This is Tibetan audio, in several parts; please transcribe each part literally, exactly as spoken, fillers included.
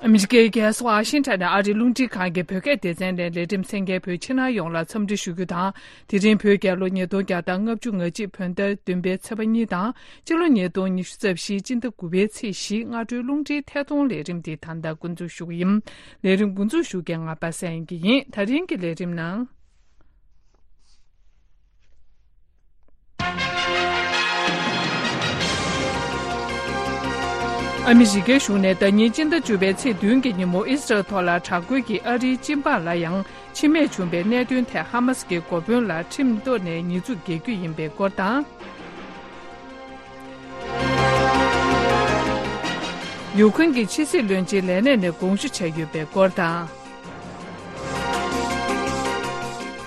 ཨ་མི་རི་ཀའི་རྒྱལ་ས་ཝ་ཤིང་ཊོན་ནས་ཨ་རིའི་རླུང་འཕྲིན་ཁང་གི་བོད་སྐད་སྡེ་ཚན་ནས་ལས་རིམ་གསན་མཁན་བོད་ཕྱི་ནང་ཡོངས་ལ་འཚམས་འདྲི་ཞུ་རྒྱུ་དང་། དེ་རིང་བོད་རྒྱལ་ལོ་ཉིས་སྟོང་བརྒྱ་དང་ལྔ་བཅུ་ང་གཅིག་བོད་ཟླ་བདུན་པའི་ཚེས་པ་གཉིས་དང་། སྤྱི་ལོ་ཉིས་སྟོང་ཉི་ཤུ་རྩ་བཞིའི་སྤྱི་ཟླ་དགུ་པའི་ཚེས་བཞི། སྔ་དྲོའི་རླུང་འཕྲིན་ཐད་གཏོང་ལས་རིམ་འདི་ད་ལྟ་འགོ་འཛུགས་ཞུ་གི་ཡིན། ལས་རིམ་འགོ་འཛུགས་ཞུ་མཁན་ང་པ་སངས་སྐྱིད་ཡིན། ད་རིང་གི་ལས་རིམ་ནང་། ཨ་མི་རི་ཀའི་གཞུང་ནས་ཟླ་ཉིན་སྤྱི་ཟླ་བཅུ་པའི་ཚེས་བདུན་གྱི་ཉིན་མོ་ཨི་སི་རལ་ཐོག་ལ་དྲག་རྒོལ་གྱིས་ཨ་རིའི་སྤྱི་འབངས་ལ་ཡང་འཆི་རྨས་བྱུང་བའི་གནད་དོན་ཐད་ཧ་མ་སི་ཀྱི་འགོ་དཔོན་ལ་ཁྲིམས་ཐོག་ནས་ཉེས་འཛུགས་རྒྱག་རྒྱུ་ཡིན་པའི་སྐོར་དང་། ཡུ་ཁུན་གྱི་ཕྱི་སྲིད་བློན་ཆེན་ལས་གནས་ནས་དགོངས་ཞུ་བྱས་ཡོད་པའི་སྐོར་དང་།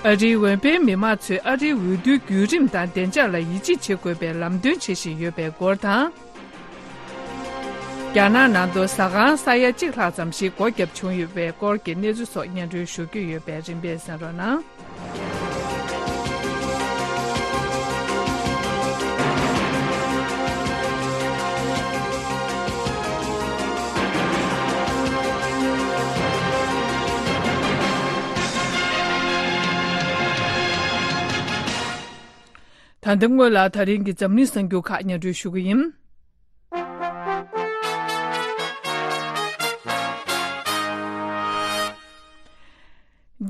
ཨ་རིའི་འོས་འཕེན་མི་མང་ཚོས་ཨ་རིའི་འོས་བསྡུའི་བརྒྱུད་རིམ་དང་བདེ་འཇགས་ལ་ཡིད་ཆེས་བྱེད་དགོས་པའི་ལམ་སྟོན་བྱེད་བཞིན་ཡོད་པའི་སྐོར་དང་། རྒྱ་ནག་ནང་དུ་ཟ་ཁང་ས་ཡ་གཅིག་ལྷག་ཙམ་ཞིག་སྒོ་བརྒྱབ་བྱུང་ཡོད་པའི་སྐོར་གྱི་གནས་ཚུལ་སོགས་སྙན་སྒྲོན་ཞུ་རྒྱུ་ཡོད་པས་རིམ་པས་གསན་རོགས་གནང་། ད་ལྟ་སྔོན་ལ་ད་རིང་གི་འཛམ་གླིང་གསར་འགྱུར་ཁག་སྙན་སྒྲོན་ཞུ་གི་ཡིན།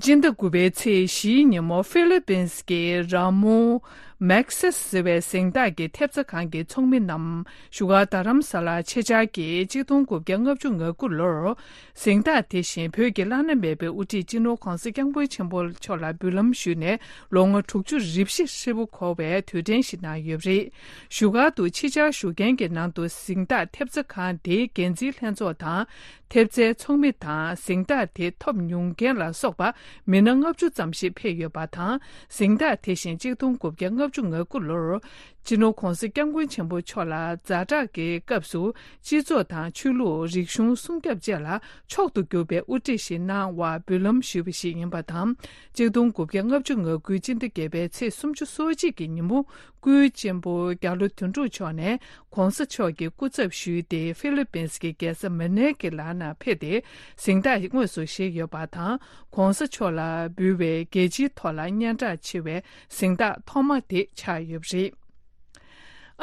སྤྱི་ཟླ་དགུ་པའི་ཚེས་བཞིའི་ཉིན་མོ་ཧྥི་ལི་པིན་གྱི་ར་མོ་མེག་སིས་ཟེར་བའི་གཟེངས་རྟགས་ཀྱི་ཐེབས་རྩ་ཁང་གི་ཚོགས་མི་རྣམས་བཞུགས་སྒར་རྡ་རམ་ས་ལར་ཆེད་བཅར་གྱིས་གཅིག་སྟོང་དགུ་བརྒྱ་ལྔ་བཅུ་ང་དགུ་ལོར། གཟེངས་རྟགས་དེ་བཞིན་བོད་ཀྱི་བླ་ན་མེད་པའི་དབུ་ཁྲིད་སྤྱི་ནོར་ྋགོང་ས་ྋསྐྱབས་མགོན་ཆེན་པོ་མཆོག་ལ་འབུལ་ལམ་ཞུས་ནས་ལོ་ངོ་དྲུག་ཅུ་རེ་བཞི་ཧྲིལ་པོ་འཁོར་བའི་དུས་དྲན་ཞིག་གནང་ཡོད་པ་རེད། བཞུགས་སྒར་དུ་ཕྱི་བཅར་ཞུ་མཁན་གྱི་ནང་དུ་གཟེངས་རྟགས་ཐེབས་རྩ་ཁང་དེའི་འགན་འཛིན་ལྷན་ཚོགས་དང་། ཐེབས་རྩའི་ཚོགས་མི་དང་གཟེངས་རྟགས་དེ་ཐོབ་མྱོང་མཁན་ལ་སོགས་པ་མི་སྣ་ལྔ་བཅུ་ཙམ་ཞིག་ཕེབས་ཡོད་པ་དང་། གཟེངས་རྟགས་དེ་བཞིན་གཅིག་སྟོང་དགུ་བརྒྱ་ལྔ་བཅུ་ང་དགུ་ལོར། སྤྱི་ནོར་ྋགོང་ས་ྋསྐྱབས་མགོན་ཆེན་པོ་མཆོག་ལ་ཛ་དྲག་གི་སྐབས་སུ་སྤྱི་ཚོགས་དང་ཆོས་ལུགས་རིག་གཞུང་སྲུང་སྐྱོབ་བཅས་ལ་མཆོག་ཏུ་གྱུར་པའི་དབུ་ཁྲིད་ཞིག་གནང་བར་འབུལ་ལམ་ཞུས་པ་ཞིག་ཡིན་པ་དང་། གཅིག་སྟོང་དགུ་བརྒྱ་ལྔ་བཅུ་ང་དགུའི་སྤྱི་ཟླ་བརྒྱད་པའི་ཚེས་སུམ་ཅུ་སོ་གཅིག་གི་ཉིན་མོ་སྐུའི་གཅེན་པོ་རྒྱ་ལོ་དོན་གྲུབ་མཆོག་ནས་ྋགོང་ས་མཆོག་གི་སྐུ་ཚབ་ཞུས་ཏེ་ཧྥི་ལི་པིན་གྱི་རྒྱལ་ས་མ་ནེ་གི་ལམ་ནས་ཕེབས་ཏེ་གཟེངས་རྟགས་དངོས་སུ་བཞེས་ཡོད་པ་དང་། ྋགོང་ས་མཆོག་ལ་འབུལ་བའི་རྒྱལ་སྤྱིའི་ཐོག་ལ་སྙན་གྲགས་ཆེ་བའི་གཟེངས་རྟགས་ཐོག་མ་དེ་ཆགས་ཡོད་པ་རེད།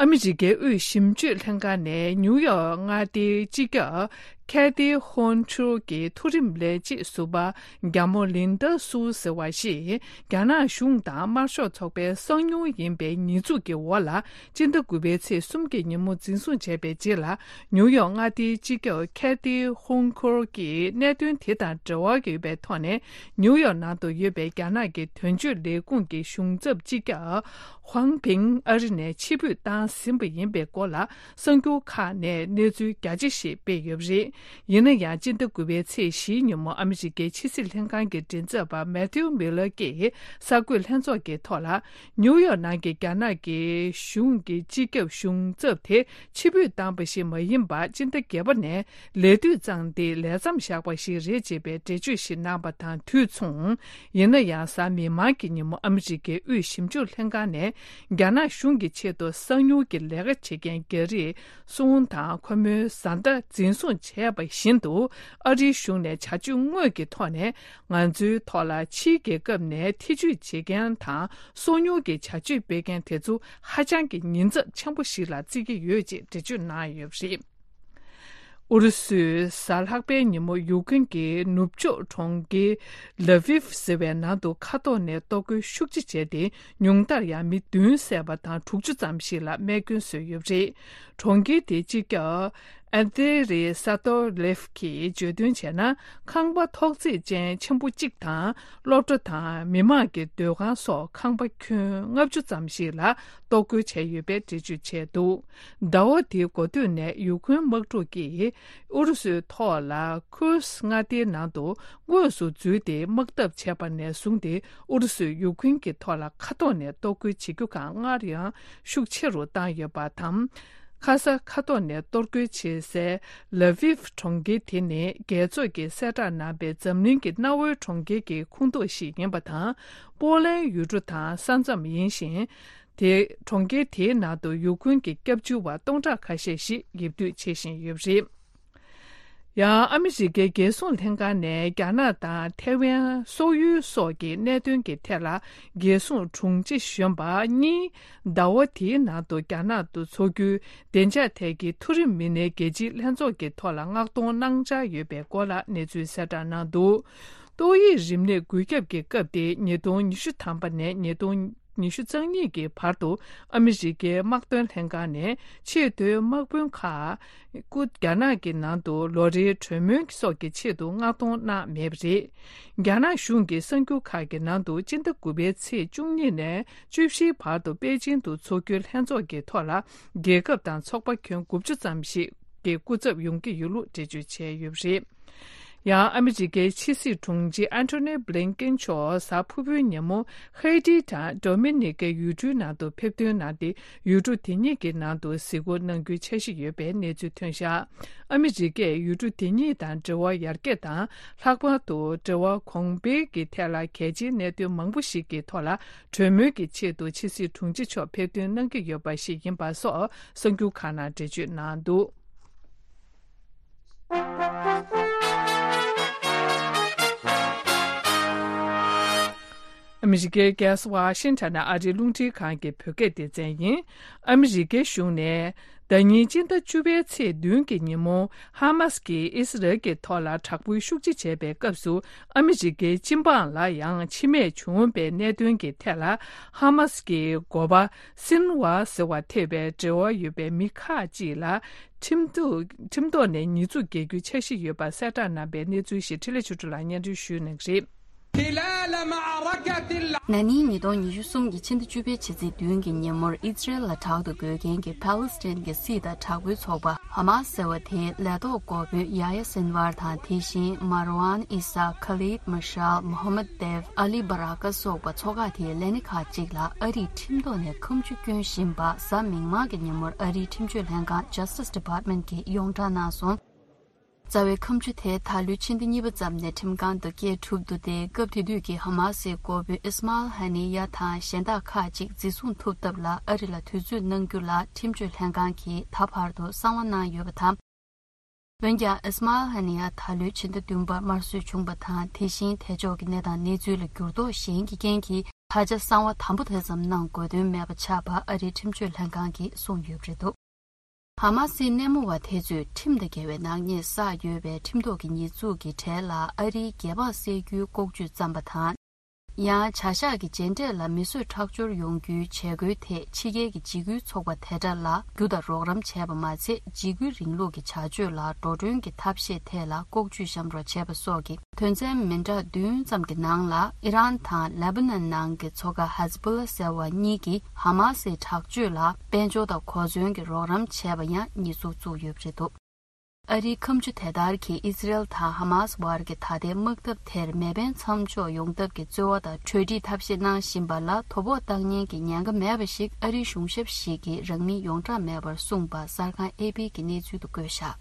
ཨ་མི་རི་ཀའི་དབུས་ཞིབ་དཔྱོད་ལྷན་ཁང་ནས་ནིའུ་ཡོག་མངའ་སྡེའི་སྤྱི་ཁྱབ་ཁེ་ཐི་ཧོན་ཁྲུར་གྱི་མཐོ་རིམ་ལས་བྱེད་ཟུར་པ་རྒྱ་མོ་ལིན་ཌ་སུའུ་ཟེར་བ་ཞིག་རྒྱ་ནག་གཞུང་དང་དམར་ཤོག་ཚོགས་པའི་གསང་མྱུལ་ཡིན་པའི་ཉེས་འཛུགས་ཀྱི་འོག་ལ། སྤྱི་ཟླ་དགུ་པའི་ཚེས་གསུམ་གྱི་ཉིན་མོ་འཛིན་བཟུང་བྱས་པའི་རྗེས་ལ། ནིའུ་ཡོག་མངའ་སྡེའི་སྤྱི་ཁྱབ་ཁེ་ཐི་ཧོང་ཁོར་གྱིས་གནད་དོན་དེ་དང་འབྲེལ་བ་ཡོད་པའི་ཐོག་ནས། ནིའུ་ཡོག་ནང་དུ་ཡོད་པའི་རྒྱ་ནག་གི་དོན་གཅོད་ལས་ཁུངས་ཀྱི་གཞུང་ཚབ་སྤྱི་ཁྱབ་ཧུང་ཕིང་ཨ་རི་ནས་ཕྱིར་འབུད་བཏང་ཟིན་པ་ཡིན་པའི་སྐོར་ལ། གསར་འགྱུར་ཁག་ནས་གནས་ཚུལ་རྒྱ་ཆེ་ཞིག་སྤེལ་ཡོད་པ་རེད། ཡིན་ན་ཡང་། སྤྱི་ཟླ་དགུ་པའི་ཚེས་བཞིའི་ཉིན་མོ་ཨ་མི་རི་ཀའི་ཕྱི་སྲིད་ལྷན་ཁང་གི་མགྲིན་ཚབ་པ་མེ་ཐིའུ་མི་ལར་གྱིས་གསར་འགོད་ལྷན་ཚོགས་ཀྱི་ཐོག་ལ། ནིའུ་ཡོག་ནང་གི་རྒྱ་ནག་གི་གཞུང་གི་སྤྱི་ཁྱབ་གཞུང་ཚབ་དེ་ཕྱིར་འབུད་བཏང་པ་ཞིག་མ་ཡིན་པར། སྤྱི་ཟླ་བརྒྱད་པ་ནས་ལས་དུས་བརྩམས་ཏེ་ལས་མཚམས་བཞག་པ་ཞིག་རེད་ཅེས་པའི་འགྲེལ་བརྗོད་ཞིག་གནང་པ་དང་དུས་མཚུངས། ཡིན་ན་ཡང་། གཟའ་མིག་དམར་གྱི་ཉིན་མོ་ཨ་མི་རི་ཀའི་དབུས་ཞིབ་འཇུག་ལྷན་ཁང་ནས་རྒྱ་ནག་གཞུང་གི་ཆེད་དུ་གསང་མྱུལ་གྱི་ལས་ཀ་བྱེད་མཁན་རྒྱ་རིགས་སུའུ་དང་ཁོ་མོའི་བཟའ་ཟླ་འཛིན་བཟུང་བྱས་པ་བཞིན་དུ། ཨ་རིའི་གཞུང་ནས་བྱ་སྤྱོད་དངོས་ཀྱི་ཐོག་ནས་ང་ཚོའི་ཐོག་ལ་ཕྱིའི་རྒྱལ་ཁབ་ནས་ཐེ་ཇུས་བྱེད་མཁན་དང་སོ་ཉུལ་གྱི་བྱ་སྤྱོད་སྤེལ་མཁན་དེ་ཚོ་ཧ་ཅང་གི་ཉེན་ཚབས་ཆེན་པོ་ཞིག་ལ་བརྩི་གི་ཡོད་ཅེས་འགྲེལ་བརྗོད་གནང་ཡོད་པ་རེད། ཨུ་རུ་སུས་གཟའ་ལྷག་པའི་ཉིན་མོ་ཡུཀ་རེན་གྱི་ནུབ་ཕྱོགས་གྲོང་ཁྱེར་ལ་ཝིབ་ཟེར་བའི་ནང་དུ་མཁའ་ཐོག་ནས་གཏོར་རྒོལ་ཤུགས་ཆེ་བྱས་ཏེ། ཉུང་མཐར་ཡང་མི་བདུན་བསད་པ་དང་དྲུག་ཅུ་ཙམ་ཞིག་ལ་རྨས་སྐྱོན་བཟོས་ཡོད་པ་རེད། གྲོང་ཁྱེར་དེའི་སྤྱི་ཁྱབ་ཨན་ཏེ་རི་ས་ཏོ་ལེབ་ཀྱིས་བརྗོད་དོན་བྱས་ན། ཁང་པ་ཐོག་བརྩེགས་ཅན་ཆེན་པོ་གཅིག་དང་། སློབ་གྲྭ་དང་མི་མང་གི་སྡོད་ཁང་སོགས་ཁང་པ་ཁྱོན་ལྔ་བཅུ་ཙམ་ཞིག་ལ་གཏོར་རྒོལ་བྱས་ཡོད་པའི་འགྲེལ་བརྗོད་བྱས་འདུག་ཟླ་བ་འདིའི་འགོ་སྟོད་ནས་ཡུཀ་རེན་དམག་འཁྲུག་གིས་ཨུ་རུ་སུའི་ཐོག་ལ་ཁུར་སི་མངའ་སྡེའི་ནང་དུ་དངོས་སུ་འཛུལ་ཏེ་དམག་འཐབ་བྱས་པ་ནས་བཟུང་སྟེ། ཨུ་རུ་སུས་ཡུཀ་རེན་གྱི་ཐོག་ལ་མཁའ་ཐོག་ནས་གཏོར་རྒོལ་བྱེད་རྒྱུ་སྒང་སྔར་ཡང་ཤུགས་ཆེ་རུ་བཏང་ཡོད་པ་དང་། ཁ་ས་མཁའ་ཐོག་ནས་གཏོར་རྒོལ་བྱེད་སའི་ལ་ཝིབ་གྲོང་ཁྱེར་དེ་ནི་རྒྱལ་ཚོགས་ཀྱི་གསལ་བསྒྲགས་གནང་པའི་འཛམ་གླིང་གི་གནའ་བོའི་གྲོང་ཁྱེར་གྱི་ཁོངས་གཏོགས་ཤིག་ཡིན་པ་དང་། པོ་ལན་ཡུལ་གྲུ་དང་ས་མཚམས་ཡིན་ཞིང་། དེ་གྲོང་ཁྱེར་དེའི་ནང་དུ་ཡུཀ་རེན་གྱི་སྐྱབས་བཅོལ་བ་སྟོང་ཕྲག་ཁ་ཤས་ཤིག་ཡིབ་སྡོད་བྱེད་བཞིན་ཡོད་པ་རེད། ཡང་ཨ་མི་རི་ཀའི་རྒྱལ་སྲུང་ལྷན་ཁང་ནས་རྒྱ་ནག་དང་ཐའེ་ཝན་སོག་ཡུལ་སོགས་ཀྱི་གནད་དོན་གྱི་ཐད་ལ། རྒྱལ་སྲུང་དྲུང་ཆེ་གཞོན་པ་གཉིས་ཟླ་བ་འདིའི་ནང་དུ་རྒྱ་ནག་ཏུ་འཚོགས་རྒྱུའི་བདེ་འཇགས་ཐད་ཀྱི་མཐོ་རིམ་མི་སྣའི་རྒྱལ་སྤྱིའི་ལྷན་ཚོགས་ཀྱི་ཐོག་ལ་མངགས་གཏོང་གནང་འཆར་ཡོད་པའི་སྐོར་ལ་གནས་ཚུལ་གསལ་བསྒྲགས་གནང་འདུག། ཏོག་དབྱིབས་རིམས་ནད་འགོས་ཁྱབ་ཀྱི་སྐབས་ཏེ། ཉིས་སྟོང་ཉི་ཤུ་ཐམ་པ་ནས་ཉིས་སྟོང་ཉི་ཤུ་རྩ་གཉིས་ཀྱི་བར་དུ། ཨ་མི་རི་ཀའི་དམག་དོན་ལྷན་ཁང་ནས་ཆེས་མཐོའི་དམག་དཔོན་ཁག་སྐུ་རྒྱ་ནག་གི་ནང་དུ་ལོ་རེའི་གྲོས་མོལ་སོགས་ཀྱི་ཆེད་དུ་མངགས་གཏོང་གནང་མེད་པ་རེད། རྒྱ་ནག་གཞུང་གི་གསར་འགྱུར་ཁག་གི་ནང་དུ། སྤྱི་ཟླ་དགུ་པའི་ཚེས་བཅུ་གཉིས་ནས་བཅུ་བཞིའི་བར་དུ་པེ་ཅིང་དུ་འཚོགས་རྒྱུའི་ལྷན་ཚོགས་ཀྱི་ཐོག་ལ། རྒྱལ་ཁབ་དང་ཚོགས་པ་ཁྱོན་དགུ་བཅུ་ཙམ་ཞིག་གི་སྐུ་ཚབ་ཡོང་གི་ཡོད་ལུགས་འགྲེལ་བརྗོད་བྱས་ཡོད་པ་རེད། ཡང་ཨ་མི་རི་ཀའི་ཕྱི་སྲིད་དྲུང་ཆེ་ཨན་ཐོ་ནི་བྷི་ལིན་ཀེན་མཆོག་གཟའ་ཕུར་བུའི་ཉིན་མོ་ཧེ་ཏི་དང་ཌོ་མི་ནི་ཀའི་ཡུལ་གྲུའི་ནང་དུ་ཕེབས་ཐོན་གནང་སྟེ། ཡུལ་གྲུ་དེ་གཉིས་ཀྱི་ནང་དུ་གཟིགས་སྐོར་གནང་རྒྱུའི་འཆར་གཞི་ཡོད་པའི་གནས་ཚུལ་ཐོན་བཞག། ཨ་མི་རི་ཀས་ཡུལ་གྲུ་དེ་གཉིས་དང་འབྲེལ་བ་ཡར་རྒྱས་དང་། ལྷག་པར་དུ་འབྲེལ་བ་གོང་འཕེལ་གྱི་ཐད་ལ་གལ་ཆེའི་གནད་དོན་མང་པོ་ཞིག་གི་ཐོག་ལ་གྲོས་མོལ་གྱི་ཆེད་དུ་ཕྱི་སྲིད་དྲུང་ཆེ་མཆོག་ཕེབས་ཐོན་གནང་གི་ཡོད་པ་ཞིག་ཡིན་པ་སོགས་གསར་འགྱུར་ཁག་ནང་འགྲེལ་བརྗོད་གནང་འདུག། ཨ་མི་རི་ཀའི་རྒྱལ་ས་ཝ་ཤིང་ཊོན་ནས་ཨ་རིའི་རླུང་འཕྲིན་ཁང་གི་བོད་སྐད་སྡེ་ཚན་ཡིན། ཨ་མི་རི་ཀའི་གཞུང་ནས་ཟླ་ཉིན་སྤྱི་ཟླ་བཅུ་པའི་ཚེས་བདུན་གྱི་ཉིན་མོ། ཧ་མ་སི་གིས་ཨི་སི་རལ་གྱི་ཐོག་ལ་དྲག་པོའི་ཤུགས་རྐྱེན་བྱས་པའི་སྐབས་སུ། ཨ་མི་རི་ཀའི་སྤྱི་འབངས་ལ་ཡང་འཆི་རྨས་བྱུང་བའི་གནད་དོན་གྱི་ཐད་ལ། ཧ་མ་སི་གི་འགོ་པ་སིན་ཝར་ཟེར་བ་ཐེ་བའི་འབྲེལ་བ་ཡོད་པའི་མི་ཁག་ཅིག་ལ། ཁྲིམས་ཐོག་ཁྲིམས་ཐོག་ནས་ཉེས་འཛུགས་རྒྱག་རྒྱུའི་འཆར་གཞི་ཡོད་པ་གསལ་བསྒྲགས་གནང་པའི་གནས་ཚུལ་ཞིག་འཕྲིན་ལས་ཆོས་སྒྲོན་ལགས་སྙན་སྒྲོན་ཞུ་གནང་གི་རེད། ན་ནིང་ཉིས་སྟོང་ཉི་ཤུ་གསུམ་གྱི་ཕྱི་ཟླ་བཅུ་པའི་ཕྱི་ཚེས་བདུན་གྱི་ཉིན་མོར། ཨི་ཛི་རལ་ལ་དྲག་ཏུ་རྒོལ་མཁན་གྱི་ཕཱ་ལི་སི་ཐན་གྱི་སྲིད་དང་དྲག་པོའི་ཚོགས་པ་ཧ་མ་སི་ཟེར་བ་དེའི་ལས་ཐོག་འགོ་དཔོན་ཡ་ཡ་སིན་ཝར་དང་། དེ་བཞིན་མར་ཝན་ཨི་ས། ཁ་ལིད་མ་ཤལ། མོ་ཧམ་མད་དེབ། ཨ་ལི་བྷ་ར་ཀ་སོགས་པ་ཚོ་ཁག་དེའི་ལས་སྣེ་ཁག་ཅིག་ལ་ཨ་རིས་ཁྲིམས་ཐོག་ནས་ཁ་མཆུ་སྐྱོན་བཞིན་པ། གཟའ་མིག་དམར་གྱི་ཉིན་མོར་ཨ་རིའི་ཁྲིམས་གཅོད་ལྷན་ཁང་Justice Department གིས་ཡོངས་བསྒྲགས་གནང་སོང་། རྩ་བའི་ཁ་མཆུ་དེ་ད་ལོའི་ཕྱི་ཟླ་གཉིས་པ་ཙམ་ནས་ཁྲིམས་ཁང་དུ་སྐྱེལ་གྲུབ་འདུག་སྟེ། སྐབས་དེ་དུས་ཀྱི་ཧ་མ་སིའི་འགོ་དཔོན་ཨིས་མཱལ་ཧ་ནི་ཡ་དང་གཞན་དག་ཁག་ཅིག་འཛིན་བཟུང་ཐུབ་ཐབས་ལ་ཨ་རི་ལ་དུས་ཚོད་གནང་རྒྱུ་ལ་ཁྲིམས་གཅོད་ལྷན་ཁང་གིས་ད་བར་དུ་གསང་བ་གནང་ཡོད་པ་དང་། འོན་ཀྱང་ཨིས་མཱལ་ཧ་ནི་ཡ་ད་ལོའི་ཕྱི་ཟླ་བདུན་པར་དམར་གསོད་བྱུང་བ་དང་། དེ་བཞིན་དེ་ཕྱོགས་ཀྱི་གནས་སྟངས་གནས་ཚུལ་ལ་འགྱུར་ལྡོག་གཞན་གྱི་རྐྱེན་གྱིས་ད་ཆ་གསང་བ་དམ་པོ་དེ་ཙམ་གནང་དགོས་དོན་མེད་པ་ཆགས་པ་ཨ་རིའི་ཁྲིམས་གཅོད་ལྷན་ཁང་གིས་གསུངས་ཡོད་པ་རེད་འདུག། ཧ་མ་སིའི་སྣེ་མོ་བ་དེ་ཚོས་ཁྲིམས་དང་འགལ་བའི་ནག་ཉེས་བསགས་ཡོད་པའི་ཁྲིམས་ཐོག་གི་ཉེས་འཛུགས་ཀྱི་གྲས་ལ་ཨ་རིའི་རྒྱལ་འབངས་བསད་རྒྱུའི་ལྐོག་ཇུས་བརྩམས་པ་དང་། ཡང་བྱ་གཞག་གི་རྗེས་འབྲས་ལ་མི་གསོད་ཁྲག་སྦྱོར་ཡོང་རྒྱུའི་བྱེད་སྒོའི་ཐད་ཕྱི་རྒྱལ་གྱི་འཇིགས་སྐུལ་ཚོགས་པ་དེ་འདྲ་ལ་རྒྱུ་དང་རོགས་རམ་བྱས་པ་མ་ཚད། འཇིགས་སྐུལ་རིང་ལུགས་ཀྱི་བྱ་སྤྱོད་ལ་འགྲོ་གྲོན་གྱི་ཐབས་ཤེས་ཐད་ལ་ལྐོག་ཇུས་བཤམས་རོགས་བྱས་པ་སོགས་ཀྱི་དོན་ཚན་མི་འདྲ་བདུན་ཙམ་གྱི་ནང་ལ། ཨི་རན་དང་ལེ་བྷ་ནན་ནང་གི་ཚོ་ཁག་ཧེ་ཛི་བྷོ་ལ་ཟེར་བ་གཉིས་ཀྱིས་ཧ་མ་སིའི་དྲག་སྤྱོད་ལ་དཔལ་འབྱོར་དང་གོ་མཚོན་གྱི་རོགས་རམ་བྱས་པ་ཡང་ཉེས་འཛུགས་བཙུགས་ཡོད་པ་རེད་འདུག། ཨ་རིའི་ཁ་མཆུ་དེ་ལྟར་གྱིས་ཨི་ཛི་རལ་དང་ཧ་མ་སི་བར་གྱི་ད་ལྟའི་དམག་འཐབ་དེར་མེ་འཕེན་མཚམས་འཇོག་ཡོང་ཐབས་ཀྱི་རྩོལ་བ་དང་གྲོས་འགྲིག་ཐབས་ཤེས་གནང་བཞིན་པ་ལ་དོ་ཕོག་བཏང་ཉེན་གྱི་ཉེན་ཁ་མེད་པ་ཞིག་ཨ་རིའི་གཞུང་ཞབས་ཤིག་གིས་རང་མིང་ཡོངས་བསྒྲགས་མེད་པར་གསུངས་པ་གསར་ཁང་ཨེ་པི་གིས་གནས་ཚུལ་དུ་བཀོད་བཞག།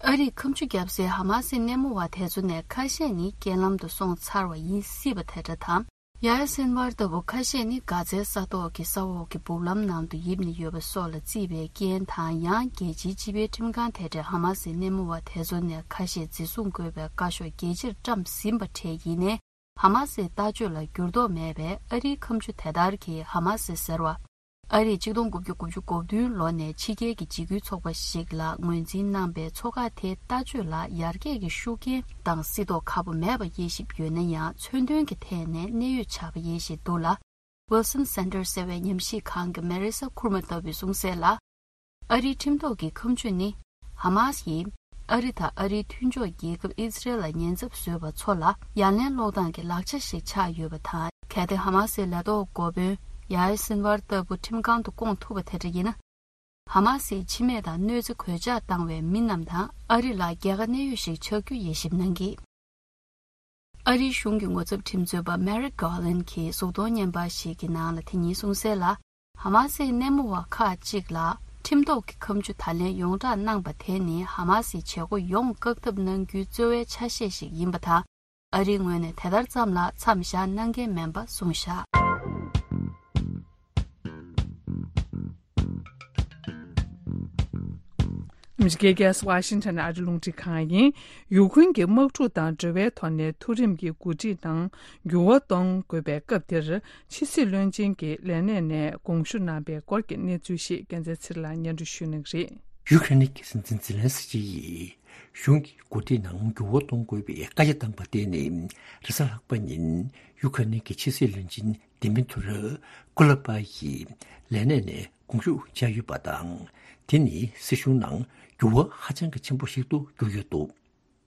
ཨ་རིས་ཁ་མཆུ་བརྒྱབ་སའི་ཧ་མ་སིའི་སྣེ་མོ་བ་དེ་ཚོ་ནས་ཁ་ཤས་ནི་རྐྱེན་ལམ་དུ་སོང་ཚར་བ་ཡིན་སྲིད་པ་དེ་འདྲ་དང་། ཡ་ཡ་སིན་ཝར་ལྟ་བུ་ཁ་ཤས་ནི་གྷ་ཛའི་ས་ཐོག་གི་ས་འོག་གི་སྦུག་ལམ་ནང་དུ་ཡིབ་ནས་ཡོད་པ་སོགས་ལ་བརྩིས་པའི་རྐྱེན་དང་། ཡང་རྒྱལ་སྤྱིའི་སྤྱི་པའི་ཁྲིམས་ཁང་དེ་འདྲས་ཧ་མ་སིའི་སྣེ་མོ་བ་དེ་ཚོ་ནས་ཁ་ཤས་འཛིན་བཟུང་དགོས་པའི་བཀའ་ཤོག་རྒྱལ་སྤྱིར་བཀྲམ་ཟིན་པ་འདྲས་ཡིན་ནའི། ཧ་མ་སིའི་ལྟ་སྤྱོད་ལ་འགྱུར་ལྡོག་མེད་པས། ཨ་རིའི་ཁ་མཆུ་དེ་ལྟར་གྱིས་ཧ་མ་སི་ཟེར་བ། ཨ་རིས་གཅིག་སྟོང་དགུ་བརྒྱ་དགུ་བཅུ་གོ་བདུན་ལོ་ནས་ཕྱི་རྒྱལ་གྱི་འཇིགས་སྐུལ་ཚོགས་པ་ཞིག་ལ་ངོས་འཛིན་གནང་པའི་ཚོ་ཁག་དེའི་ལྟ་སྤྱོད་ལ་ཡར་རྒྱས་ཀྱི་ཤུགས་རྐྱེན་དང་སྲིད་དོགས་ཁ་པོ་མེད་པ་དབྱེ་ཞིབ་ཡོད་ན་ཡང་། མཚོན་དོན་གྱི་ཐད་ནས་གནད་ཡོད་ཆགས་པ་དབྱེ་ཞིབ་འདུག་ལ། Wilson Center ཟེར་བའི་ཉམས་ཞིབ་ཁང་གི་Marisa Kurma ལྟ་བུས་གསུངས་གསལ་ལ། ཨ་རིའི་ཁྲིམས་ཐོག་གི་ཁ་མཆུ་ནི་ཧ་མ་སི་ཡིས་ཨ་རི་དང་ཨ་རིའི་མཐུན་ཕྱོགས་རྒྱལ་ཁབ་ཨི་ཛི་རལ་ལ་ཉེན་ཚབས་བཟོས་པ་ཚོ་ལ་ཡ་ལན་སློག་སྟངས་ཀྱི་ལག་ཆ་ཞིག་ཆགས་ཡོད་པ་དང་། གལ་ཏེ་ཧ་མ་སིའི་ལས་ཐོག་འགོ་དཔོན་ཡ་ཡ་སིན་ཝར་ལྟ་བུ་ཁྲིམས་ཁང་དུ་བསྐོང་ཐུབ་པ་དེ་འདྲ་ཡིན་ན། ཧ་མ་སིའི་འཆི་རྨས་དང་གནོད་འཚེ་གོད་ཆག་བཏང་བའི་མི་རྣམས་དང་ཨ་རི་ལ་རྒྱལ་ཁ་གནད་ཡོད་ཞིག་ཆགས་རྒྱུ་དབྱེ་ཞིབ་གནང་གིས། ཨ་རིའི་གཞུང་གི་ངོ་ཚབ་ཁྲིམས་རྩོད་པ་Merrick Garland གྱིས་གཟུགས་མཐོང་བརྙན་པར་ཞིག་གི་ནང་ལ་དེ་ཉིན་གསུངས་གསལ་ལ། ཧ་མ་སིའི་སྣེ་མོ་བ་ཁག་ཅིག་ལ་ཁྲིམས་ཐོག་གི་ཁ་མཆུ་ད་ལན་ཡོངས་བསྒྲགས་གནང་པ་དེ་ནི་ཧ་མ་སིའི་བྱེད་སྒོ་ཡོངས་བཀག་ཐབས་གནང་རྒྱུའི་རྩོལ་བའི་ཆ་ཤས་ཤིག་ཡིན་པ་དང་། ཨ་རིའི་ངོས་ནས་དེ་ལྟར་ཙམ་ལ་མཚམས་བཞག་གནང་གི་མིན་པ་གསུངས་བཞག། ཨ་མི་རི་ཀའི་རྒྱལ་ས་ཝ་ཤིང་ཊོན་ནས་ཨ་རི་རླུང་འཕྲིན་ཁང་ཡིན། ཡུ་ཁུན་གྱི་དམག་འཁྲུག་དང་འབྲེལ་བའི་ཐོག་ནས་མཐོ་རིམ་གྱི་འགོ་ཁྲིད་ནང་འགྱུར་བ་གཏོང་དགོས་པའི་སྐབས་དེར། ཕྱི་སྲིད་བློན་ཆེན་གྱི་ལས་གནས་ནས་དགོངས་ཞུ་གནང་པའི་སྐོར་གྱི་གནས་ཚུལ་ཞིག་རྒྱལ་མཚན་ཚེ་རིང་ལགས་སྙན་སྒྲོན་ཞུ་གནང་གི་རེད། ཡུ་ཁ་རེན་གྱི་སྲིད་འཛིན་ཛེ་ལན་སི་ཀི་ཡིས་གཞུང་གི་འགོ་ཁྲིད་ནང་འགྱུར་བ་གཏོང་དགོས་པའི་བཀའ་རྒྱ་བཏང་པ་དེ་ནི་རེས་གཟའ་ལྷག་པ་ཉིན་ཡུ་ཁ་རེན་གྱི་ཕྱི་སྲིད་བློན་ཆེན་དི་མི་ཐུ་རོ་ཀུ་ལ་པ་ཡིས་ལས་གནས་ནས་དགོངས་ཞུ་བྱས་ཡོད་པ་དང་། དེ་ནི་སྲིད་གཞུང་ནང་འགྱུར་བ་ཧ་ཅང་གི་ཆེན་པོ་ཞིག་ཏུ་གྱུར་ཡོད་འདུག་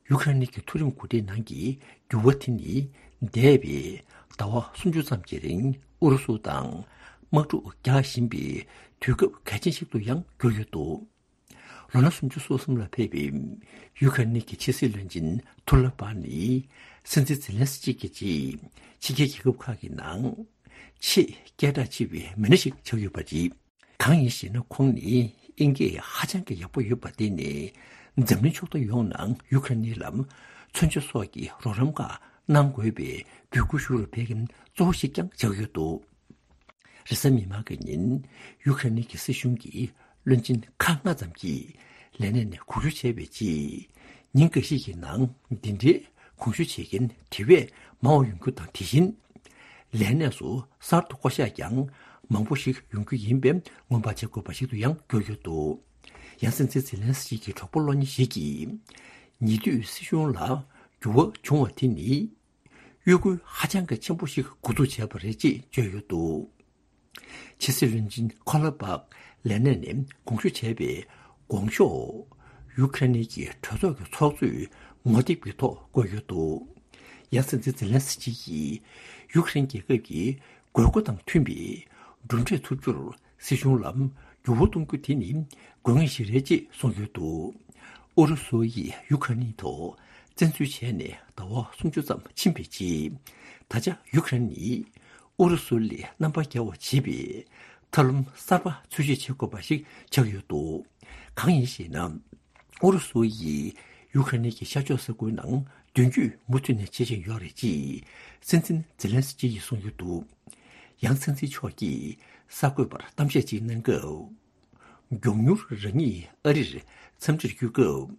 ཡུ་ཁ་རེན་གྱི་མཐོ་རིམ་འགོ་ཁྲིད་ནང་གི་འགྱུར་བ་དེ་ནི་འདས་པའི་ཟླ་བ་སུམ་ཅུ་ཙམ་གྱི་རིང་ཨུ་རུ་སུ་དང་དམག་འཁྲུག་རྒྱག་བཞིན་པའི་དུས་སྐབས་གལ་ཆེན་ཞིག་ཏུ་ཡང་གྱུར་ཡོད་འདུག་ལོ་ན་སུམ་ཅུ་སོ་གསུམ་ལ་ཕེབས་པའི་ཡུ་ཁ་རེན་གྱི་ཕྱི་སྲིད་བློན་ཆེན་ཐུ་ལ་པ་ནི་སྲིད་འཛིན་ཛེ་ལན་སི་ཀི་གྱི་རྗེས་ཕྱི་རྒྱལ་རྒྱལ་ཁབ་ཁག་གི་ནང་ཆེས་སྐད་གྲགས་ཆེ་བའི་མི་སྣ་ཞིག་ཆགས་ཡོད་པ་རེད། གང་ཡིན་ཞེ་ན། ཁོང་ནི་དབྱིན་སྐད་ཧ་ཅང་གི་ཡག་པོ་ཡོད་པ་དེ་ནི་འཛམ་གླིང་ཕྱོགས་མཐའ་ཡོངས་ནང་ཡུ་ཁ་རེན་ལ་མཚོན་ཆ་སོགས་ཀྱི་རོགས་རམ་ཁག་གནང་དགོས་པའི་འབོད་སྐུལ་ཞུ་བར་ཕེབས་མཁན་གཙོ་བོ་ཞིག་ཀྱང་ཆགས་ཡོད་འདུག་རེས་གཟའ་མིག་དམར་གྱི་ཉིན་ཡུ་ཁ་རེན་གྱི་སྲིད་གཞུང་གི་བློན་ཆེན་ཁག་ལྔ་ཙམ་གྱིས་ལས་གནས་ནས་དགོངས་ཞུ་བྱས་པའི་རྗེས། ཉིན་འགའ་ཤས་ཀྱི་ནང་འདི་འདྲའི་དགོངས་ཞུ་བྱེད་མཁན་དེ་བས་མང་བ་ཡོང་རྒྱུ་དང་། དེ་བཞིན་ལས་གནས་སུ་གསར་དུ་བསྐོ་གཞག་ཀྱང་མང་པོ་ཞིག་ཡོང་རྒྱུ་ཡིན་པས་སྔོན་དཔག་བྱེད་དགོས་པ་ཞིག་ཏུ་ཡང་གྱུར་ཡོད་འདུག་ཡང་སྲིད་འཛིན་ཛེ་ལན་སི་ཀི་གི་གྲོགས་པོ་བློ་མཉེས་ཤིག་གིས། ཉེ་དུས་སྲིད་གཞུང་ལ་འགྱུར་བ་བྱུང་བ་དེ་ནི་གཡོ་འགུལ་ཧ་ཅང་གི་ཆེན་པོ་ཞིག་འགོ་འཛུགས་བྱས་པ་རེད་ཅེས་བརྗོད་ཡོད་འདུག་ཕྱི་སྲིད་བློན་ཆེན་ཁོ་ལ་པག་ལས་གནས་ནས་དགོངས་ཞུ་བྱས་པའི་དགོངས་ཞུ་ཡུ་ཁ་རེན་གྱི་གྲོས་ཚོགས་ཀྱི་ཚོགས་གཙོས་ངོ་དེབ་ཀྱི་ཐོག་བཀོད་ཡོད་འདུག་ཡང་སྲིད་འཛིན་ཛེ་ལན་སི་ཀི་ཡིས་ཡུ་ཁ་རེན་རྒྱལ་ཁབ་ཀྱི་དགོས་མཁོ་དང་མཐུན་པའི་གྲུབ་འབྲས་ཐོབ་རྒྱུར་སྲིད་གཞུང་ལ་འགྱུར་བ་གཏོང་རྒྱུ་དེ་ནི་དགོས་ངེས་ཤིག་རེད་ཅེས་གསུངས་ཡོད་འདུག་ཨུ་རུ་སུ་ཡིས་ཡུ་ཁ་རེན་ཐོག་བཙན་འཛུལ་བྱས་ནས་ཟླ་བ་སུམ་ཅུ་ཙམ་ཕྱིན་པའི་རྗེས། ད་ཆ་ཡུ་ཁ་རེན་ནི་ཨུ་རུ་སུ་ལས་རྣམ་པ་རྒྱལ་བ་བྱེད་པའི་ཐབས་ལམ་གསར་པ་འཚོལ་ཞིབ་བྱེད་དགོས་པ་ཞིག་ཆགས་ཡོད་འདུག་གང་ཡིན་ཞེ་ན། ཨུ་རུ་སུ་ཡིས་ཡུ་ཁ་རེན་གྱི་ཤར་ཕྱོགས་ས་ཁུལ་ནང་མདུན་སྐྱོད་མུ་མཐུད་ནས་བྱེད་བཞིན་ཡོད་རེད་ཅེས་སྲིད་འཛིན་ཛེ་ལན་སི་ཀི་ཡིས་གསུངས་ཡོད་འདུག་ཡང་སྲིད་འཛིན་མཆོག་གིས་གསར་འགོད་པར་གཏམ་བཤད་ཅིག་གནང་སྐབས། མགྱོགས་མྱུར་རང་ཉིད་ཨ་རིར་འཚམས་འདྲིར་བསྐྱོད་སྐབས།